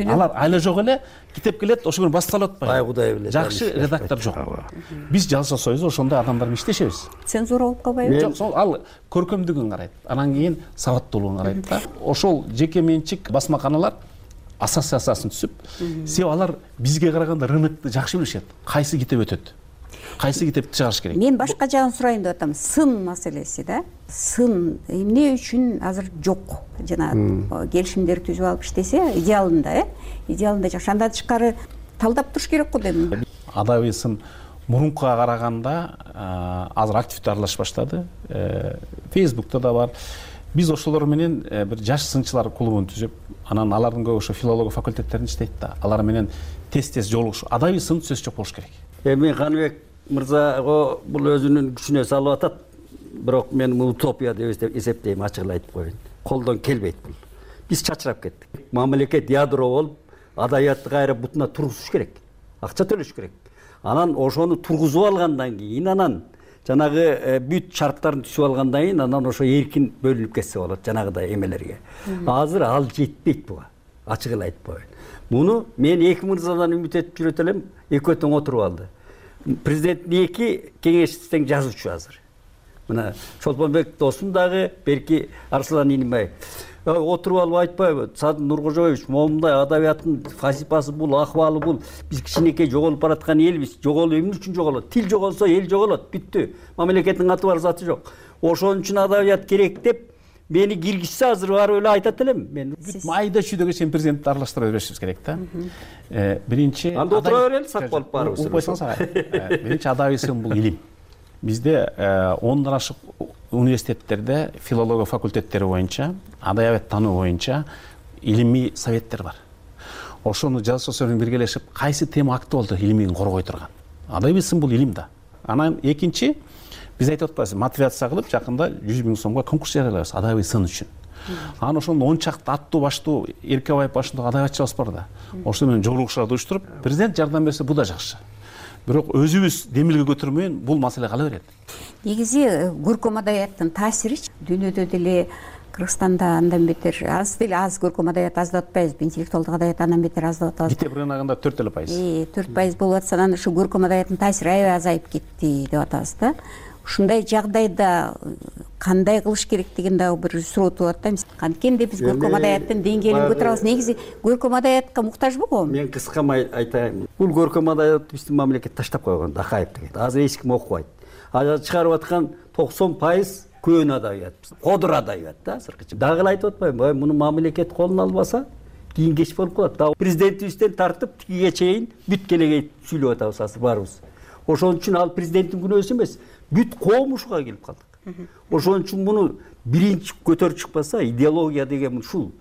Алар айла жок эле, китеп келет, ошо күнү басталып атпайбы. Ай Кудай билет. Жакшы редактор жок. Биз жазуучу союзу ошондой адамдар менен иштешебиз. Цензура болуп калбайбы? Жок, сол ал көркөмдүгүн карайт. Анан кийин сабаттуулугун карайт да. Ошол жеке менчик басмаканалар ассоциациясын түзүп, себеби алар бизге караганда рынокты жакшы билишет. Кайсы китеп өтөт, кайсы китепти чыгарыш керек. Мен башка жагын сурайын деп атам. Сын маселеси да. Сын эмне үчүн азыр жок? Жана келишимдер түзүп алып иштесе, идеалында, идеалында жакшы. Андан тышкары талдап туруш керек го дейм. Адабий сын мурункуга караганда азыр активдүү аралашып баштады. Facebook'та да бар. Биз ошолор менен бир жаш сынчылар клубун түзүп, анан алардын көбү ошо филология факультеттеринде иштейт да. Алар менен тез жолугуш. Адабий сын сөз жок болуш керек. Эми Каныбек мырза бул өзүнүн күчүнө салып атат. Бирок мен утопия деп эсептейм, ачык эле айтып коеюн. Колдон келбейт бул. Биз чачырап кеттик. Мамлекет ядро болуп, адабиятты кайра бутуна тургузуш керек. Акча төлөш керек. Анан ошону тургузуп алгандан кийин анан жанагы бүт шарттарын түзүп алгандан кийин анан ошо эркин бөлүнүп кетсе болот жанагыдай эмелерге. Азыр ал жетпейт буга. Ачык эле айтып коеюн. Муну мен эки мырзадан үмүт этип жүрөт элем, экөө тең отуруп алды. Президенттин эки кеңешчиси жазуучу азыр. Мына Чолпонбек досум дагы, берки Арслан Инимбаев. Отуруп алып айтпайбы, Садыр Нуркожоевич, момундай адабияттын фасипасы бул, акыбалы бул. Биз кичинекей жоголуп бараткан элбиз. Жоголуп эмне үчүн жоголот? Тил жоголсо эл жоголот, бүттү. Мамлекеттин аты бар, заты жок. Ошон үчүн адабият керек деп мени киргизсе азыр барып эле айтат элем. Мен майда чүйдөгө чейин президентти аралаштыра беришибиз керек да. Биринчи анда отура берели, сак болуп барыбыз. Биринчи адабий сын бул илим. Бизде 10 ашык университеттерде филология факультеттери боюнча, адабият таануу боюнча илимий советтер бар. Ошону жазуучулар менен биргелешип, кайсы тема актуалдуу илимин коргой турган. Адабий сын бул илим да. Анан экинчи, биз айтып атпайбызбы, мотивация кылып жакында 100 000 сомго конкурс жарыялайбыз адабий сын үчүн. Анан ошондо 10 чакты аттуу баштуу Эркебаев башындагы адабиятчыбыз бар да. Ошол менен жолугушууларды уюштуруп, президент жардам берсе бул да жакшы. Бирок өзүбүз демилге көтөрмөйүн бул маселе кала берет. Негизи көркөм адабияттын таасиричи дүйнөдө деле Кыргызстанда андан бетер аз деле аз көркөм адабият аз деп атпайбызбы, интеллектуалдык адабият андан бетер аз деп атабыз. Китеп рыногунда 4%. 4% болуп атса, анан ушу көркөм адабияттын таасири аябай азайып кетти деп атабыз да. Ушундай жагдайда кандай кылыш керек деген дагы бир суроо тууп атат. Канткенде биз көркөм адабияттын деңгээлин көтөрөбүз. Негизи көркөм адабиятка муктажбы? Мен кыскамай айтайын. Бул көркөм адабиятты биздин мамлекет таштап койгон, Акаев деген. Азыр эч ким окубайт. Азыр чыгарып аткан 90% көөн адабият. Кодур адабият да азыркыча. Дагы айтып атпайбы? Муну мамлекет колуна албаса, кийин кеч болуп калат. Дагы президентибизден тартып тигиге чейин бүт келегей сүйлөп атабыз азыр барыбыз. Ошон үчүн ал президенттин күнөөсү эмес, бүт коом ушуга келип калдык. Ошон үчүн муну биринчи көтөрүп чыкпаса, идеология деген ушул.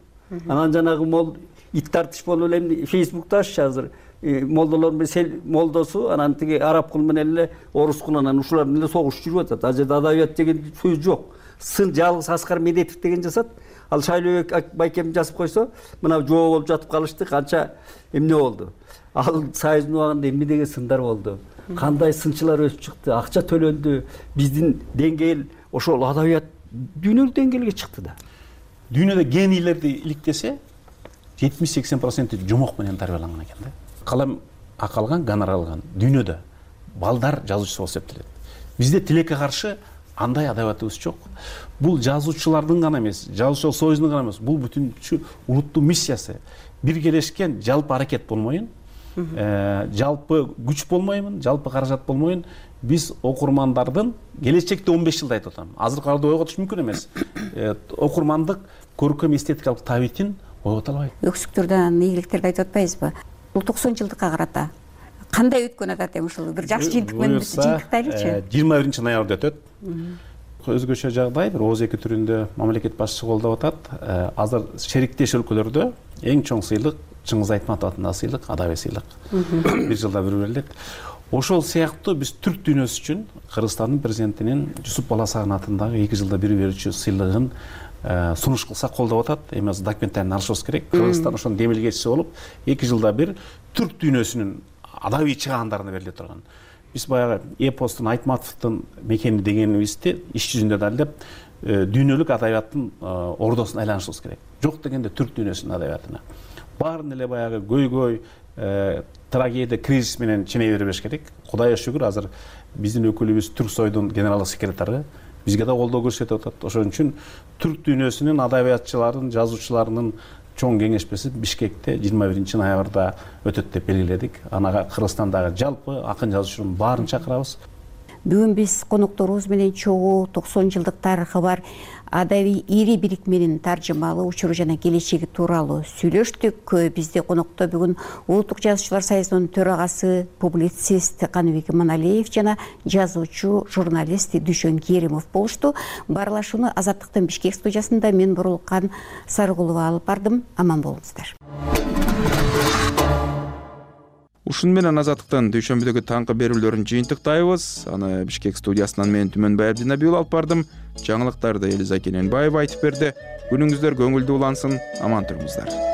Анан жанагы ит тартыш болуп эле Facebook'та азыр молдолор менен молдосу, анан тиги араб кул менен эле орус кул, анан ушулар менен согуш жүрүп атат. Ал жерде адабият деген сөз жок. Сын жалгыз Аскар Медетов деген жасат. Ал Шайлообек Байкем жазып койсо, мына жоо болуп жатып калышты, канча эмне болду. Ал Союздун убагында эмне деген сындар болду. Кандай сынчылар өсүп чыкты, акча төлөндү. Биздин деңгээл ошол адабият дүйнөлүк деңгээлге чыкты да. Дүйнөдө генийлерди иликтесе 70-80% жомок менен тарбияланган экен да. Калам акалган, гонорар алган дүйнөдө балдар жазуучу болуп эсептелет. Бизде тилекке каршы андай адабиятыбыз жок. Бул жазуучулардын гана эмес, жазуучулар союзунун гана эмес, бул бүтүнчү улуттун миссиясы. Биргелешкен жалпы аракет болмоюн, жалпы күч болмоймун, жалпы каражат болмоюн. Биз окурмандардын келечекте 15 жылда айтып атам. Азыркы ойготуш мүмкүн эмес. Окурмандык көркөм эстетикалык табитин ойгото албайт. Өксүктөрдөн ийгиликтерди айтып атпайбызбы? Бул 90 жылдыкка карата кандай өткөн атат эми ушул бир жакшы жыйынтык менен жыйынтыктайлычы? 21 ноябрда өтөт. Өзгөчө жагдай, бир ооз эки түрүндө мамлекет башчысы колдоп атат. Азыр шериктеш өлкөлөрдө эң чоң сыйлык Чыңгыз Айтматов атындагы сыйлык, адабий сыйлык. Бир жылда бир берилет. Ошол сыяктуу биз түрк дүйнөсү үчүн Кыргызстандын президентинин Жусуп Баласагын атындагы 2 жылда бир берүүчү сыйлыгын сунуш кылсак колдоп атат. Эми азыр документтарын алышыбыз керек. Кыргызстан ошонун демилгечиси болуп, 2 жылда бир түрк дүйнөсүнүн адабий чыгаандарына бериле турган. Биз баягы эпостун Айтматовдун мекени дегенибизди иш жүзүндө далилдеп, дүйнөлүк адабияттын ордосуна айланышыбыз керек. Жок дегенде түрк дүйнөсүнүн адабиятына. Баарын эле баягы көйгөй, трагедия, кризис менен ченей бербеш керек. Кудайга шүгүр, азыр биздин өкүлүбүз Түрксойдун генералдык секретары бизге да колдоо көрсөтүп атат. Ошон үчүн түрк дүйнөсүнүн адабиятчыларын, жазуучуларынын чоң кеңешмеси Бишкекте 21 ноябрда өтөт деп белгиледик. Анага Кыргызстандагы жалпы акын жазуучулардын баарын чакырабыз. Бүгүн биз конокторубуз менен чогуу 90 жылдык тарыхы бар адабий ири бирикменин таржымалуу учуру жана келечеги тууралуу сүйлөштүк. Бизде конокто бүгүн Улуттук жазуучулар союзунун төрагасы, публицист Каныбек Иманалиев жана жазуучу, журналист Дүйшөн Керимов болушту. Баарлашууну Азаттыктын Бишкек студиясында мен Бурулкан Сарыгулова алып бардым. Аман болуңуздар. Ушун менен Азаттыктын дүйшөмбүдөгү таңкы берүүлөрүн жыйынтыктайбыз. Аны Бишкек студиясынан мен Түмөнбай Абдинабиул алып бардым. Жаңылыктарды Элиза Кененбаева айтып берди. Күнүңүздөр көңүлдүү улансын, аман туруңуздар.